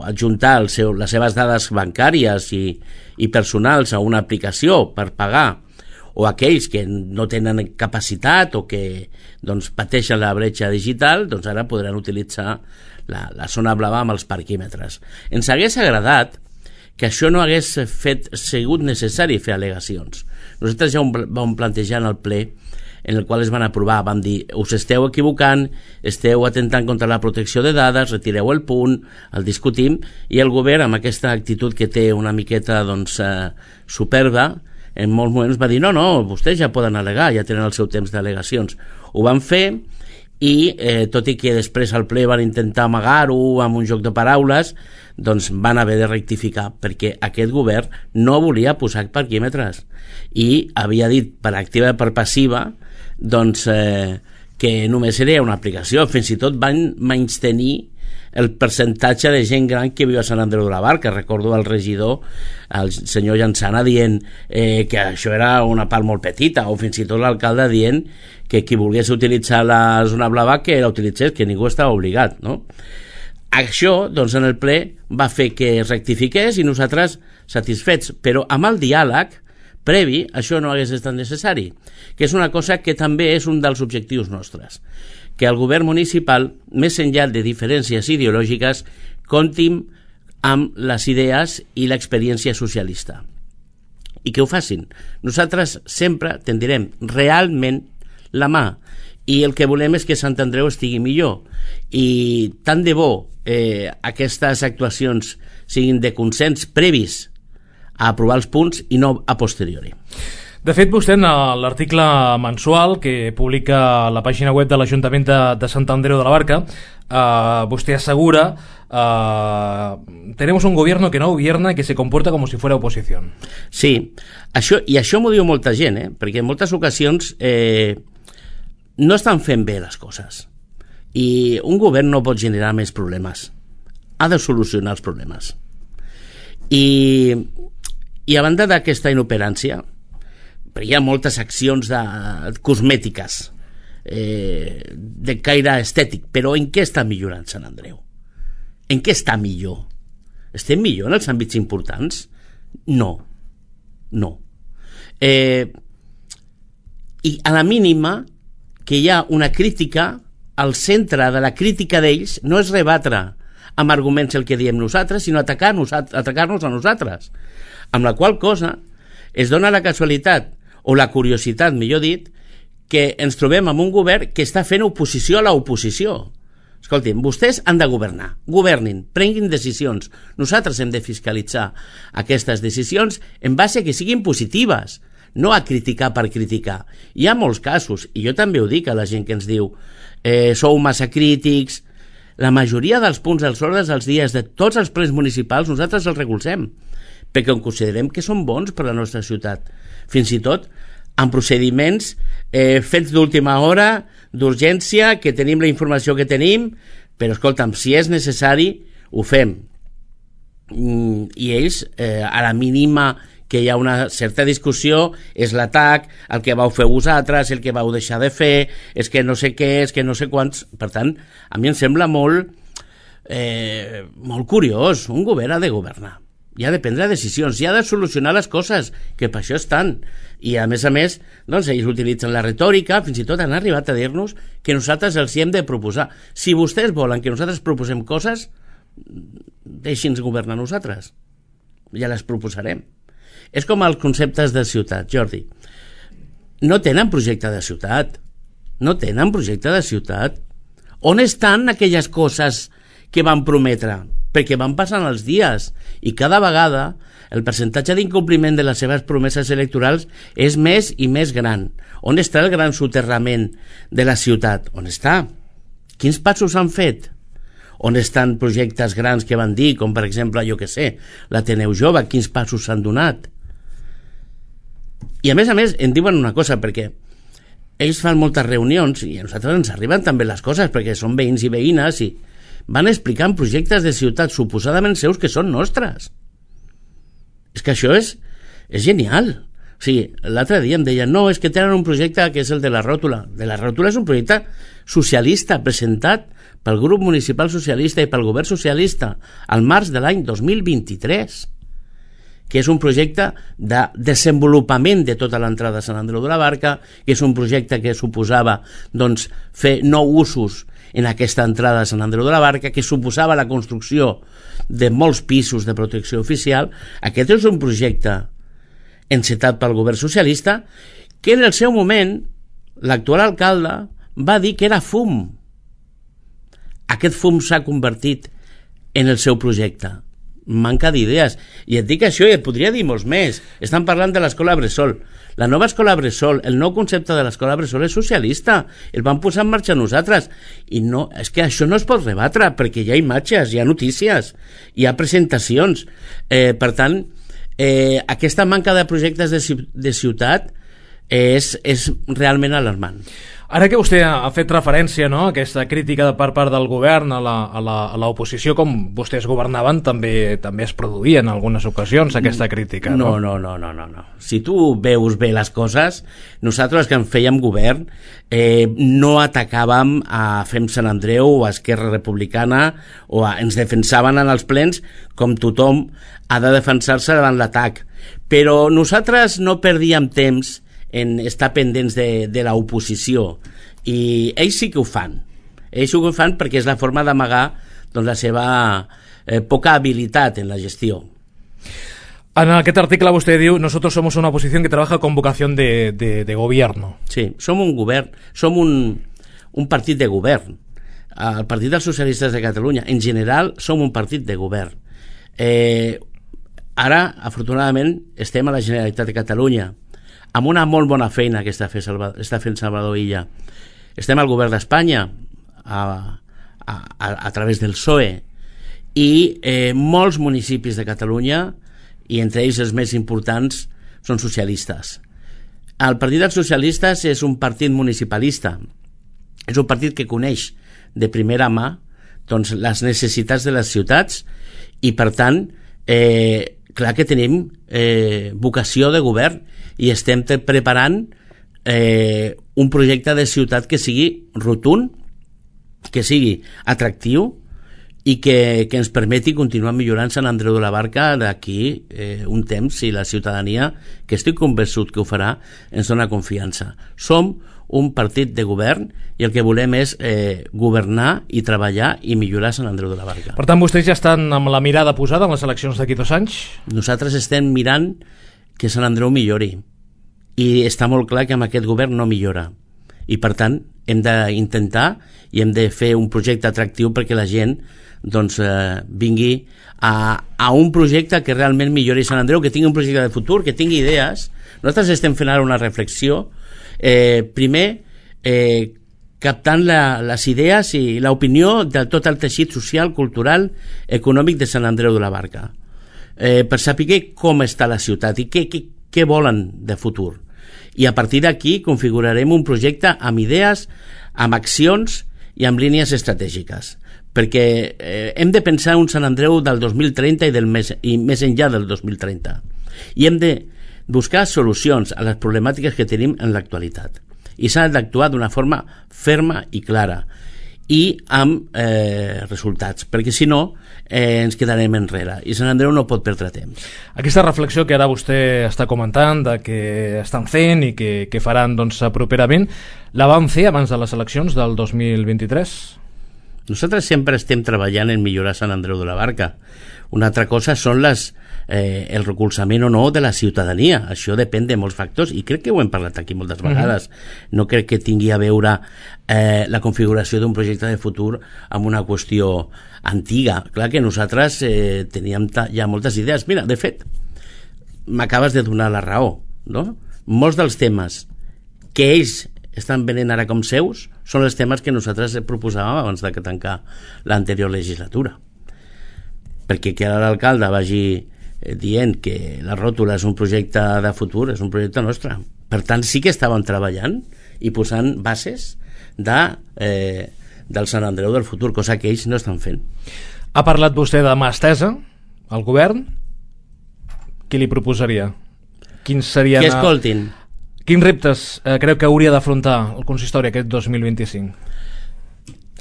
adjuntar les seves dades bancàries i personals a una aplicació per pagar, o aquells que no tenen capacitat o que doncs, pateixen la bretxa digital, doncs ara podran utilitzar la zona blava amb els parquímetres. Ens hagués agradat que això no hagués sigut necessari fer al·legacions. Nosaltres ja vam plantejar en el ple en el qual es van aprovar, van dir, us esteu equivocant, esteu atentant contra la protecció de dades, retireu el punt, el discutim, i el govern, amb aquesta actitud que té una miqueta superba, en molts moments va dir, no, vostès ja poden al·legar, ja tenen el seu temps d'al·legacions. Ho van fer, i tot i que després al ple van intentar amagar-ho amb un joc de paraules, doncs van haver de rectificar, perquè aquest govern no volia posar parquímetres i havia dit per activa i per passiva doncs que només era una aplicació. Fins i tot van menystenir el percentatge de gent gran que viu a Sant Andreu de la Barca. Recordo el regidor, el senyor Llançana, dient que això era una part molt petita, o fins i tot l'alcalde dient que qui volgués utilitzar la zona blava que la utilitzés, que ningú estava obligat, no? Això, doncs, en el ple va fer que es rectifiqués i nosaltres satisfets, però amb el diàleg previ això no hagués estat necessari, que és una cosa que també és un dels objectius nostres, que el govern municipal, més enllà de diferències ideològiques, comptin amb les idees i l'experiència socialista, i que ho facin. Nosaltres sempre tendirem realment la mà, i el que volem és que Sant Andreu estigui millor, i tant de bo aquestes actuacions siguin de consens previs a aprovar els punts i no a posteriori. De fet, vostè en l'article mensual que publica a la pàgina web de l'Ajuntament de Sant Andreu de la Barca, vostè assegura tenemos un gobierno que no gobierna y que se comporta como si fuera oposición. Sí, això m'ho diu molta gent, perquè en moltes ocasions no estan fent bé les coses, i un govern no pot generar més problemes, ha de solucionar els problemes, i a banda d'aquesta inoperància, perquè hi ha moltes accions cosmètiques de caire estètic, però en què està millorant Sant Andreu? En què està millor? Estem millor en els àmbits importants? No. I a la mínima que hi ha una crítica, al centre de la crítica d'ells no és rebatre amb arguments el que diem nosaltres, sinó atacar-nos a nosaltres, amb la qual cosa es dona la casualitat o la curiositat, millor dit, que ens trobem amb un govern que està fent oposició a l'oposició. Escoltin, vostès han de governar, governin, prenguin decisions, nosaltres hem de fiscalitzar aquestes decisions en base a que siguin positives, no a criticar per criticar. Hi ha molts casos, i jo també ho dic a la gent que ens diu sou massa crítics. La majoria dels punts dels ordres dels dies de tots els plens municipals nosaltres els recolzem, perquè considerem que són bons per a la nostra ciutat, fins i tot amb procediments fets d'última hora, d'urgència, que tenim la informació que tenim, però escolta'm, si és necessari ho fem, i ells a la mínima que hi ha una certa discussió és l'atac, el que vau fer vosaltres, el que vau deixar de fer, és que no sé què, és que no sé quants. Per tant, a mi em sembla molt curiós. Un govern ha de governar i ha de prendre decisions, i ha de solucionar les coses, que per això estan. I a més, doncs, ells utilitzen la retòrica, fins i tot han arribat a dir-nos que nosaltres els hi hem de proposar. Si vostès volen que nosaltres proposem coses, deixi'ns governar nosaltres, ja les proposarem. És com els conceptes de ciutat, Jordi. No tenen projecte de ciutat. On estan aquelles coses que van prometre? Perquè van passant els dies i cada vegada el percentatge d'incompliment de les seves promeses electorals és més i més gran. On està el gran soterrament de la ciutat? On està? Quins passos han fet? On estan projectes grans que van dir, com per exemple, jo que sé, l'Ateneu Jove, quins passos s'han donat? I a més, em diuen una cosa, perquè ells fan moltes reunions i a nosaltres ens arriben també les coses, perquè són veïns i veïnes, i van explicant projectes de ciutat suposadament seus que són nostres. És que això és genial. O sigui, l'altre dia em deien, no, és que tenen un projecte que és el de la ròtula. De la ròtula és un projecte socialista presentat pel grup municipal socialista i pel govern socialista al març de l'any 2023, que és un projecte de desenvolupament de tota l'entrada a Sant Andreu de la Barca, que és un projecte que suposava doncs, fer 9 usos en aquesta entrada a Sant Andreu de la Barca, que suposava la construcció de molts pisos de protecció oficial. Aquest és un projecte encetat pel govern socialista que en el seu moment l'actual alcalde va dir que era fum. Aquest fum s'ha convertit en el seu projecte. Manca d'idees. I et dic això i et podria dir molts més. Estan parlant de l'escola Bressol. La nova escola Bressol, el nou concepte de l'escola Bressol és socialista. El vam posar en marxa nosaltres. I no, és que això no es pot rebatre, perquè hi ha imatges, hi ha notícies, hi ha presentacions. Per tant, aquesta manca de projectes de ciutat és realment alarmant. Ara que vostè ha fet referència, no, a aquesta crítica per part del govern a l'oposició, com vostès governaven, també es produïa en algunes ocasions aquesta crítica, no? No. Si tu veus bé les coses, nosaltres que en fèiem govern no atacàvem a Fem Sant Andreu o a Esquerra Republicana ens defensaven en els plens com tothom ha de defensar-se davant l'atac. Però nosaltres no perdíem temps en estar pendents de l'oposició, i ells sí que ho fan perquè és la forma d'amagar la seva poca habilitat en la gestió. En aquest article vostè diu: nosotros somos una oposición que trabaja con vocación de gobierno. Sí, som un govern, som un partit de govern. El Partit dels Socialistes de Catalunya en general som un partit de govern. Ara, afortunadament, estem a la Generalitat de Catalunya amb una molt bona feina que està fent Salvador Illa. Estem al govern d'Espanya a través del PSOE, i molts municipis de Catalunya, i entre ells els més importants, són socialistes. El Partit dels Socialistes és un partit municipalista, és un partit que coneix de primera mà les necessitats de les ciutats, i per tant clar que tenim vocació de govern i estem preparant un projecte de ciutat que sigui rotund, que sigui atractiu i que ens permeti continuar millorant Sant Andreu de la Barca d'aquí un temps, si la ciutadania, que estic convençut que ho farà, ens dona confiança. Som un partit de govern i el que volem és governar i treballar i millorar Sant Andreu de la Barca. Per tant, vostès ja estan amb la mirada posada en les eleccions d'aquí 2 anys? Nosaltres estem mirant que Sant Andreu millori, i està molt clar que amb aquest govern no millora, i per tant hem d'intentar i hem de fer un projecte atractiu perquè la gent vingui a un projecte que realment millori Sant Andreu, que tingui un projecte de futur, que tingui idees. Nosaltres estem fent ara una reflexió, primer captant les idees i l'opinió de tot el teixit social, cultural, econòmic de Sant Andreu de la Barca, per saber com està la ciutat i què volen de futur. I a partir d'aquí configurarem un projecte amb idees, amb accions i amb línies estratègiques, perquè hem de pensar un Sant Andreu del 2030 i més enllà del 2030, i hem de buscar solucions a les problemàtiques que tenim en l'actualitat, i s'ha d'actuar d'una forma ferma i clara i amb resultats, perquè si no ens quedarem enrere i Sant Andreu no pot perdre temps. Aquesta reflexió que ara vostè està comentant de que estan fent i que faran properament, la van fer abans de les eleccions del 2023? Nosaltres sempre estem treballant en millorar Sant Andreu de la Barca. Una altra cosa són el recolzament o no de la ciutadania. Això depèn de molts factors i crec que ho hem parlat aquí moltes vegades. No crec que tingui a veure la configuració d'un projecte de futur amb una qüestió antiga. Clar que nosaltres teníem ja moltes idees. Mira, de fet, m'acabes de donar la raó, no? Molts dels temes que ells estan venent ara com seus són els temes que nosaltres proposàvem abans de tancar l'anterior legislatura, perquè que ara l'alcalde vagi dient que la ròtula és un projecte de futur, és un projecte nostre. Per tant, sí que estàvem treballant i posant bases del Sant Andreu del futur, cosa que ells no estan fent. Ha parlat vostè de mà estesa al govern. Què li proposaria? Quins serien... Que escoltin. Quins reptes creu que hauria d'afrontar el consistori aquest 2025?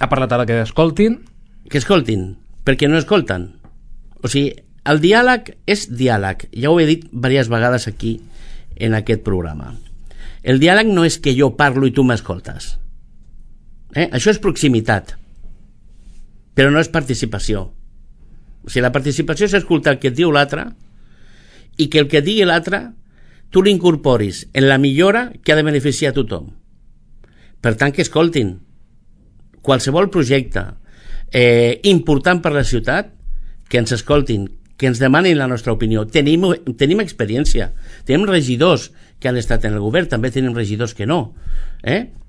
Ha parlat ara que escoltin. Que escoltin, perquè no escolten. O sigui, el diàleg és diàleg. Ja ho he dit diverses vegades aquí en aquest programa. El diàleg no és que jo parlo i tu m'escoltes. Això és proximitat, però no és participació. O sigui, la participació és escoltar el que et diu l'altre i que el que digui l'altre tu l'incorporis en la millora que ha de beneficiar a tothom. Per tant, que escoltin qualsevol projecte important per la ciutat, que ens escoltin, que ens demanin la nostra opinió. Tenim experiència, tenim regidors que han estat en el govern, també tenim regidors que no,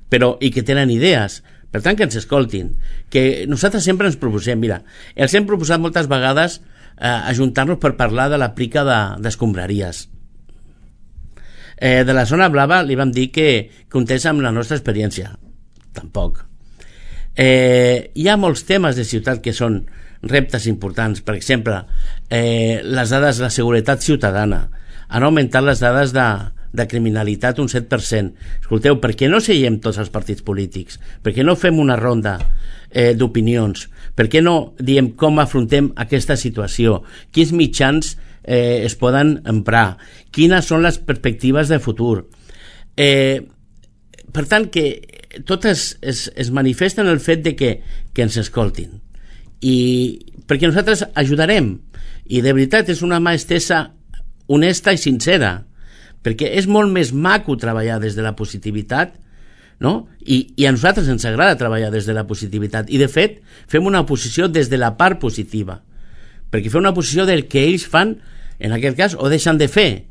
però, i que tenen idees. Per tant, que ens escoltin, que nosaltres sempre ens proposem. Mira, els hem proposat moltes vegades ajuntar-nos per parlar de la plica d'escombraries. De la zona blava li vam dir que comptés amb la nostra experiència. Tampoc. Hi ha molts temes de ciutat que són reptes importants. Per exemple, les dades de la seguretat ciutadana. Han augmentat les dades de criminalitat un 7%. Escolteu, per què no seiem tots els partits polítics? Per què no fem una ronda d'opinions? Per què no diem com afrontem aquesta situació? Quins mitjans es poden emprar? Quines són les perspectives de futur? Per tant, que totes es manifesten el fet de que ens escoltin. I perquè nosaltres ajudarem. I de veritat és una mà estesa honesta i sincera, perquè és molt més maco treballar des de la positivitat, no? I a nosaltres ens agrada treballar des de la positivitat, i de fet fem una oposició des de la part positiva, perquè fem una oposició del que ells fan en aquest cas o deixen de fer.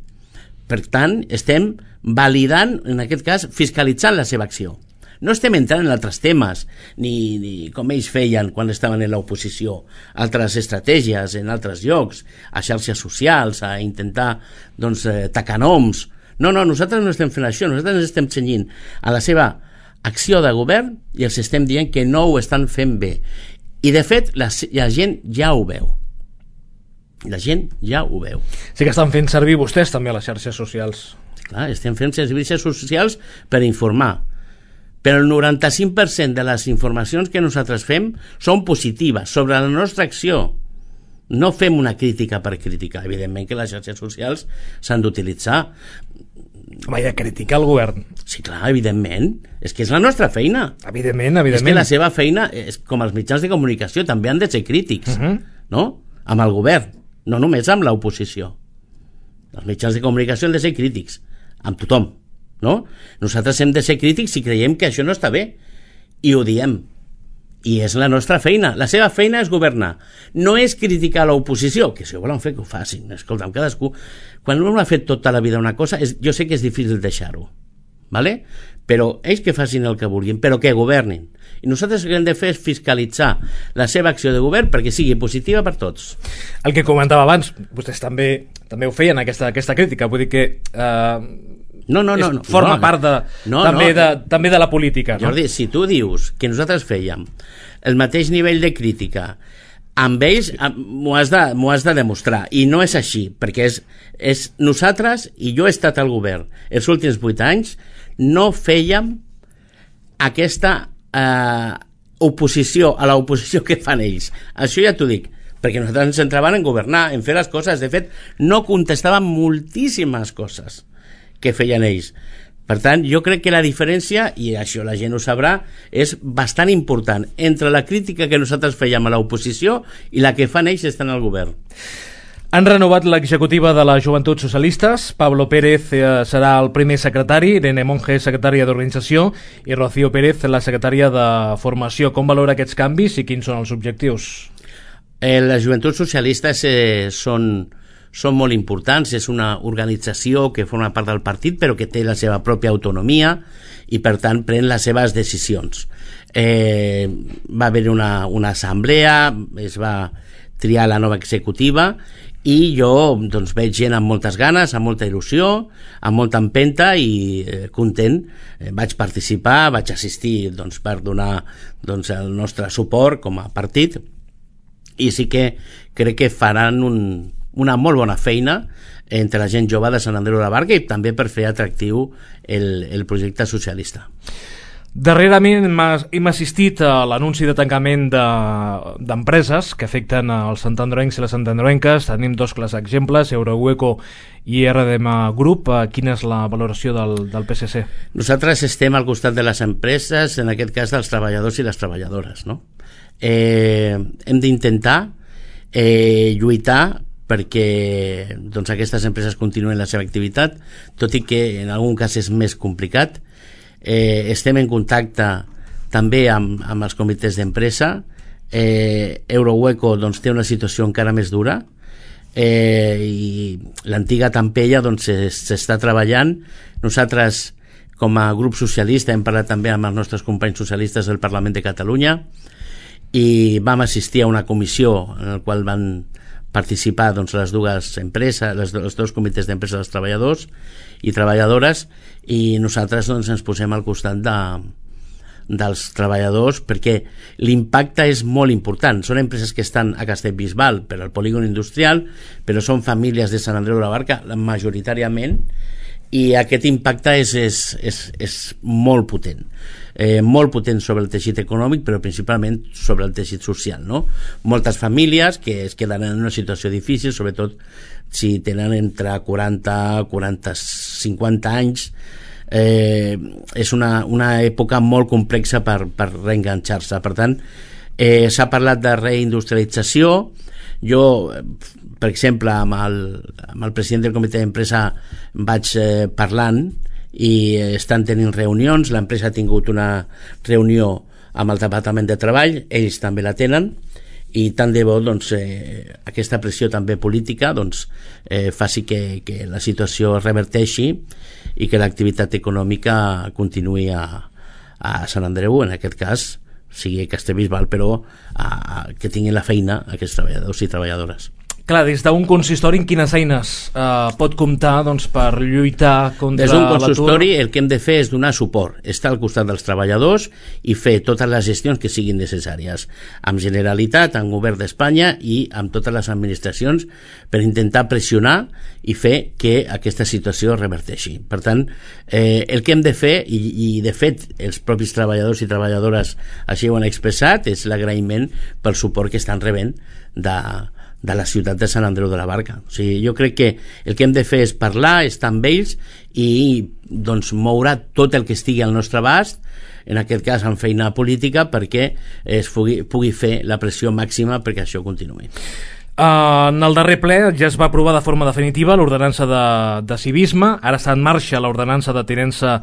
Per tant, estem validant, en aquest cas fiscalitzant la seva acció. No estem entrant en altres temes, ni com ells feien quan estaven en l'oposició, altres estratègies en altres llocs, a xarxes socials, a intentar tacar noms. No, nosaltres no estem fent això, nosaltres ens estem cenyint a la seva acció de govern i els estem dient que no ho estan fent bé. I de fet, la gent ja ho veu. La gent ja ho veu. Sí que estan fent servir vostès també a les xarxes socials. Clar, estem fent servicis socials per informar. Però el 95% de les informacions que nosaltres fem són positives sobre la nostra acció. No fem una crítica per criticar. Evidentment que les xarxes socials s'han d'utilitzar. Home, i de criticar el govern. Sí, clar, evidentment. És que és la nostra feina. Evidentment. És que la seva feina, és com els mitjans de comunicació, també han de ser crítics, no? Amb el govern, no només amb l'oposició. Els mitjans de comunicació han de ser crítics, amb tothom. No? Nosaltres hem de ser crítics si creiem que això no està bé, i ho diem, i és la nostra feina. La seva feina és governar, no és criticar l'oposició, que si ho volen fer que ho facin. Escolta'm, cadascú, quan un ha fet tota la vida una cosa, jo sé que és difícil deixar-ho, ¿vale? Però ells que facin el que vulguin, però que governin, i nosaltres el que hem de fer és fiscalitzar la seva acció de govern perquè sigui positiva per tots. El que comentava abans, vostès també ho feien, aquesta crítica, vull dir que No. Forma part també de la política. No? Jordi, si tu dius que nosaltres fèiem el mateix nivell de crítica amb ells, m'ho has de demostrar, i no és així, perquè és nosaltres, i jo he estat al govern els últims 8 anys, no fèiem aquesta oposició a l'oposició que fan ells. Això ja t'ho dic, perquè nosaltres ens centraven en governar, en fer les coses. De fet, no contestàvem moltíssimes coses que feien ells. Per tant, jo crec que la diferència, i això la gent ho sabrà, és bastant important entre la crítica que nosaltres fèiem a l'oposició i la que fan ells estant al govern. Han renovat l'executiva de les Joventuts Socialistes. Pablo Pérez serà el primer secretari, Irene Monge, secretària d'Organització, i Rocío Pérez, la secretària de Formació. Com valora aquests canvis i quins són els objectius? Les Joventuts Socialistes són molt importants. És una organització que forma part del partit però que té la seva pròpia autonomia i per tant pren les seves decisions. Va haver una assemblea, es va triar la nova executiva i jo veig gent amb moltes ganes, amb molta il·lusió, amb molta empenta i content. Vaig participar, vaig assistir per donar el nostre suport com a partit, i sí que crec que faran una molt bona feina entre la gent jove de Sant Andreu de la Barca i també per fer atractiu el projecte socialista. Darrerament hem assistit a l'anunci de tancament d'empreses que afecten els santandroencs i les santandroenques. Tenim 2 clars exemples, Eurohueco i RDM Group. Quina és la valoració del PSC? Nosaltres estem al costat de les empreses, en aquest cas dels treballadors i les treballadores, no? Hem d'intentar lluitar perquè aquestes empreses continuen la seva activitat, tot i que en algun cas és més complicat. estem en contacte també amb els comitès d'empresa. Eurohueco doncs, té una situació encara més dura, i l'antiga Tampella doncs, s'està treballant. Nosaltres, com a grup socialista, hem parlat també amb els nostres companys socialistes del Parlament de Catalunya i vam assistir a una comissió en la qual van participar doncs, les dues empreses, els dos comitès d'empresa dels treballadors i treballadores, i nosaltres doncs, ens posem al costat dels treballadors perquè l'impacte és molt important. Són empreses que estan a Castellbisbal per al polígon industrial, però són famílies de Sant Andreu de la Barca majoritàriament, i aquest impacte és molt potent, molt potent sobre el teixit econòmic, però principalment sobre el teixit social, no? Moltes famílies que es queden en una situació difícil, sobretot si tenen entre 50 anys. És una època molt complexa per reenganxar-se. Per tant, s'ha parlat de reindustrialització. Jo, per exemple, amb el president del comitè d'empresa vaig parlant i estan tenint reunions. L'empresa ha tingut una reunió amb el Departament de Treball, ells també la tenen, i tant de bo doncs, aquesta pressió també política doncs, faci que la situació es reverteixi i que l'activitat econòmica continuï a Sant Andreu, en aquest cas sigui Castellbisbal, però que tinguin la feina aquests treballadors i treballadores. Clar, des d'un consistori, en quines eines pot comptar doncs, per lluitar contra l'atur? Des d'un consistori el que hem de fer és donar suport, estar al costat dels treballadors i fer totes les gestions que siguin necessàries, amb Generalitat, amb Govern d'Espanya i amb totes les administracions, per intentar pressionar i fer que aquesta situació es reverteixi. Per tant, el que hem de fer, i de fet els propis treballadors i treballadores així ho han expressat, és l'agraïment pel suport que estan rebent de la ciutat de Sant Andreu de la Barca. O sigui, jo crec que el que hem de fer és parlar, estar amb ells i doncs, moure tot el que estigui al nostre abast, en aquest cas amb feina política, perquè es pugui fer la pressió màxima perquè això continuï. En el darrer ple ja es va aprovar de forma definitiva l'ordenança de civisme, ara està en marxa l'ordenança de tinença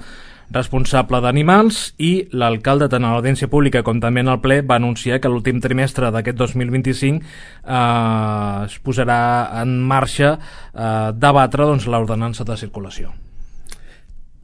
responsable d'animals, i l'alcalde, tant a l'audiència pública com també en el ple, va anunciar que l'últim trimestre d'aquest 2025 es posarà en marxa debatre doncs, l'ordenança de circulació.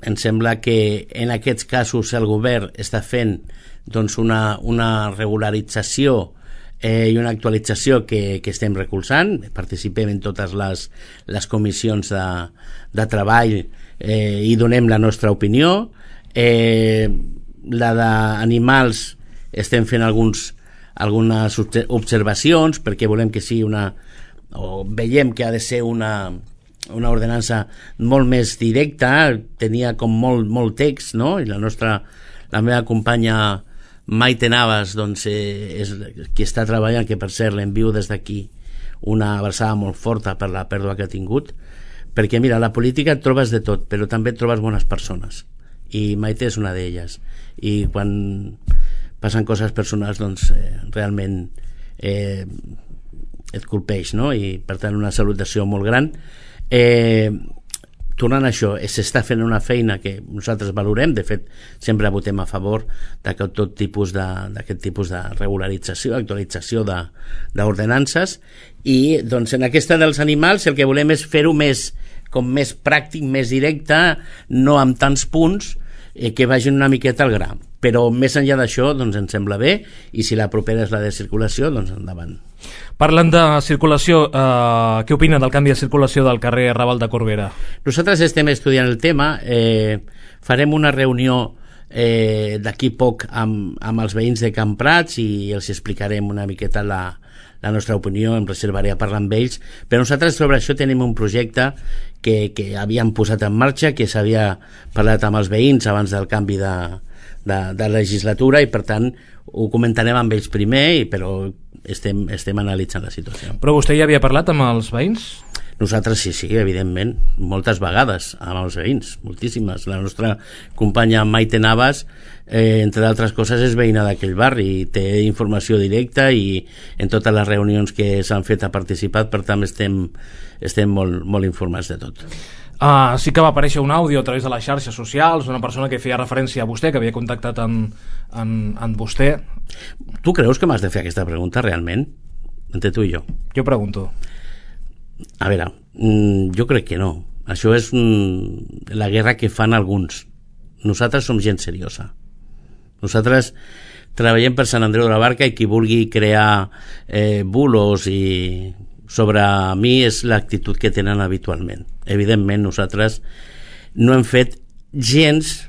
Em sembla que en aquests casos el govern està fent doncs, una regularització i una actualització que estem recolzant. Participem en totes les comissions de treball i donem la nostra opinió. La d'animals estem fent algunes observacions perquè volem que sigui veiem que ha de ser una ordenança molt més directa, tenia com molt text, no? I la meva companya Maite Navas doncs, és qui està treballant, que per cert l'envio des d'aquí una abraçada molt forta per la pèrdua que ha tingut, perquè mira, la política et trobes de tot, però també et trobes bones persones, i Maite és una d'elles, i quan passen coses personals doncs realment et colpeix, no? I per tant una salutació molt gran. Tornant a això, s'està fent una feina que nosaltres valorem, de fet sempre votem a favor d'aquest tipus de regularització, actualització d'ordenances, i doncs en aquesta dels animals el que volem és fer-ho més pràctic, més directe, no amb tants punts, que vagin una miqueta al gra, però més enllà d'això doncs ens sembla bé, i si la propera és la de circulació, doncs endavant. Parlant de circulació, què opina del canvi de circulació del carrer Raval de Corbera? Nosaltres estem estudiant el tema, farem una reunió d'aquí poc amb els veïns de Can Prats i els explicarem una miqueta la nostra opinió, em reservaré a parlar amb ells, però nosaltres sobre això tenim un projecte que havíem posat en marxa, que s'havia parlat amb els veïns abans del canvi de legislatura, i per tant ho comentarem amb ells primer, però estem analitzant la situació. Però vostè ja havia parlat amb els veïns? Nosaltres sí, evidentment, moltes vegades amb els veïns, moltíssimes. La nostra companya Maite Navas, entre d'altres coses, és veïna d'aquell barri i té informació directa, i en totes les reunions que s'han fet ha participat, per tant estem molt informats de tot. Sí que va aparèixer un àudio a través de les xarxes socials, una persona que feia referència a vostè, que havia contactat amb vostè. Tu creus que m'has de fer aquesta pregunta realment? Entre tu i jo. Jo pregunto. A veure, jo crec que no. Això és la guerra que fan alguns. Nosaltres som gent seriosa. Nosaltres treballem per Sant Andreu de la Barca i qui vulgui crear bulos i sobre mi és l'actitud que tenen habitualment. Evidentment nosaltres no hem fet gens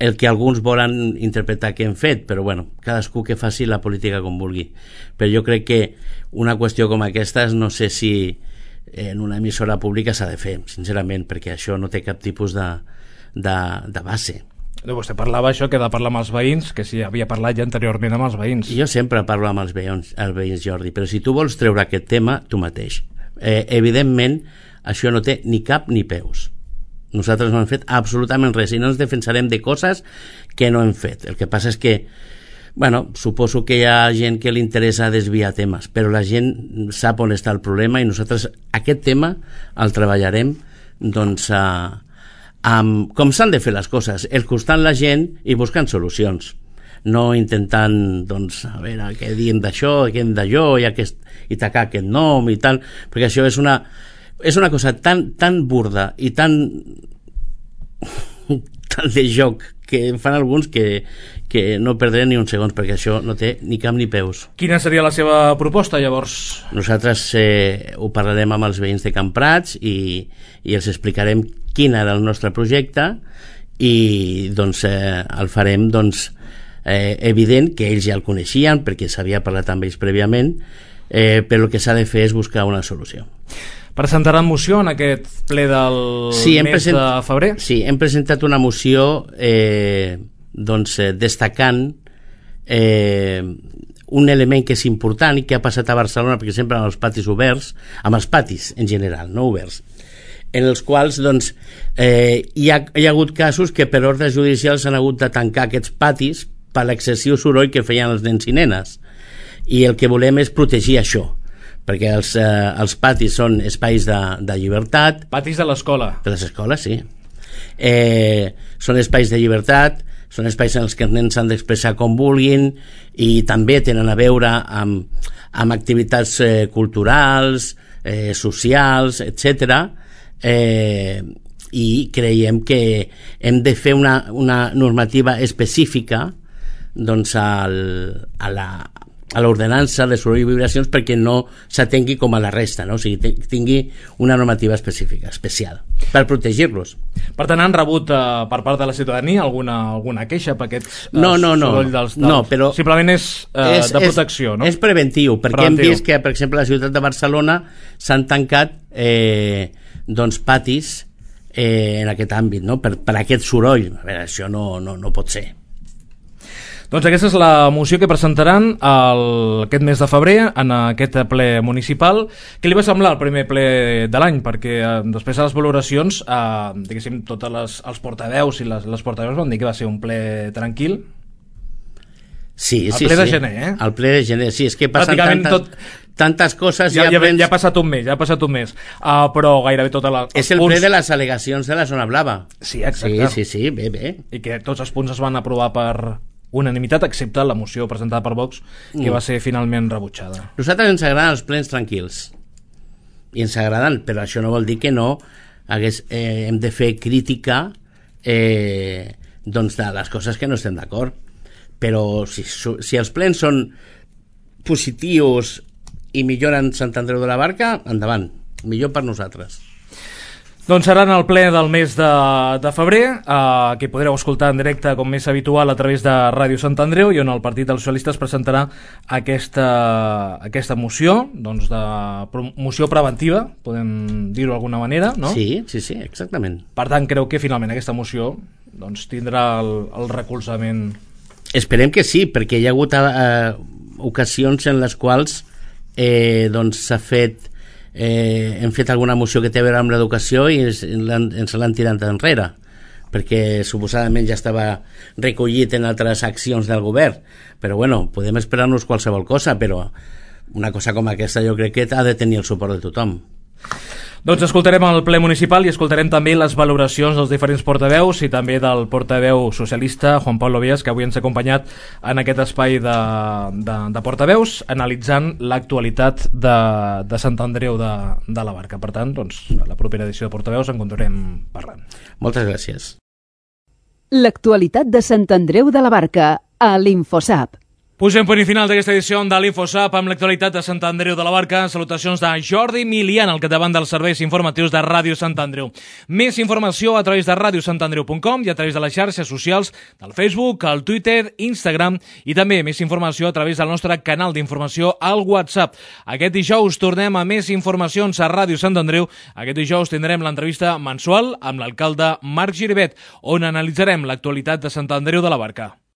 el que alguns volen interpretar que hem fet, però bueno, cadascú que faci la política com vulgui. Però jo crec que una qüestió com aquesta no sé si en una emissora pública s'ha de fer, sincerament, perquè això no té cap tipus de base. Vostè parlava això, que ha de parlar amb els veïns, que sí, havia parlat ja anteriorment amb els veïns. Jo sempre parlo amb els veïns, Jordi, però si tu vols treure aquest tema, tu mateix. Evidentment, això no té ni cap ni peus. Nosaltres no hem fet absolutament res i no ens defensarem de coses que no hem fet. El que passa és que suposo que hi ha gent que li interessa desviar temes, però la gent sap on està el problema i nosaltres aquest tema el treballarem com s'han de fer les coses, escoltant la gent i buscant solucions, no intentant a veure què diem d'això, què diem d'allò i tacar aquest nom i tal, perquè això és una cosa tan burda i tan de joc que fan alguns que no perdré ni un segon, perquè això no té ni cap ni peus. Quina seria la seva proposta, llavors? Nosaltres ho parlarem amb els veïns de Camprats i els explicarem quin era el nostre projecte i el farem evident que ells ja el coneixien perquè s'havia parlat amb ells prèviament, però el que s'ha de fer és buscar una solució. Presentaran moció en aquest ple del mes de febrer? Sí, hem presentat una moció destacant un element que és important i que ha passat a Barcelona, per exemple, amb els patis oberts, amb els patis en general, no oberts, en els quals hi ha hagut casos que per ordres judicials s'han hagut de tancar aquests patis per l'excessiu soroll que feien els nens i nenes, i el que volem és protegir això, perquè els patis són espais de llibertat. Patis de l'escola. De les escoles, sí. Són espais de llibertat, són espais en els que els nens s'han d'expressar com vulguin i també tenen a veure amb activitats culturals, socials, etc. I creiem que hem de fer una normativa específica a l'ordenança de soroll i vibracions perquè no s'atengui com a la resta, no? O sigui, tingui una normativa específica, especial, per protegir-los. Per tant, han rebut per part de la ciutadania alguna queixa per aquest soroll dels... No, però... Simplement és de protecció, no? És preventiu, perquè hem vist que, per exemple, a la ciutat de Barcelona s'han tancat patis en aquest àmbit, no? Per aquest soroll. A veure, això no pot ser. Doncs aquesta és la moció que presentaran aquest mes de febrer en aquest ple municipal. Què li va semblar el primer ple de l'any? Perquè després de les valoracions, diguéssim, tots els portaveus i les portaveus van dir que va ser un ple tranquil. Sí, el ple de gener, El ple de gener, sí, és que passen tantes coses... Ja ha passat un mes, però gairebé totes les... És el ple de les al·legacions de la zona blava. Sí, exacte. Sí, bé. I que tots els punts es van aprovar per unanimitat, excepte la moció presentada per Vox, que va ser finalment rebutjada. A nosaltres ens agraden els plens tranquils, i ens agraden, però això no vol dir que no hem de fer crítica de les coses que no estem d'acord. Però si els plens són positius i milloren Sant Andreu de la Barca, endavant, millor per nosaltres. Doncs serà en el ple del mes de febrer, que podreu escoltar en directe, com és habitual, a través de Ràdio Sant Andreu, i on el Partit dels Socialistes presentarà aquesta moció, doncs de moció preventiva, podem dir-ho d'alguna manera, no? Sí, exactament. Per tant, creu que finalment aquesta moció doncs, tindrà el recolzament. Esperem que sí, perquè hi ha hagut ocasions en les quals s'ha fet hem fet alguna moció que té a veure amb l'educació i ens l'han tirat enrere perquè suposadament ja estava recollit en altres accions del govern, però bueno, podem esperar-nos qualsevol cosa, però una cosa com aquesta jo crec que ha de tenir el suport de tothom. Doncs escoltarem el ple municipal i escoltarem també les valoracions dels diferents portaveus i també del portaveu socialista Juan Pablo Vías, que avui ens ha acompanyat en aquest espai de portaveus analitzant l'actualitat de Sant Andreu de la Barca. Per tant, doncs, a la propera edició de portaveus en continuarem parlant. Moltes gràcies. L'actualitat de Sant Andreu de la Barca a l'InfoSap. Posem punt i final d'aquesta edició de l'InfoSap amb l'actualitat de Sant Andreu de la Barca. Salutacions de Jordi Milian, al capdavant dels serveis informatius de Ràdio Sant Andreu. Més informació a través de radiosantandreu.com i a través de les xarxes socials del Facebook, el Twitter, Instagram i també més informació a través del nostre canal d'informació al WhatsApp. Aquest dijous tornem a més informacions a Ràdio Sant Andreu. Aquest dijous tindrem l'entrevista mensual amb l'alcalde Marc Giribet, on analitzarem l'actualitat de Sant Andreu de la Barca.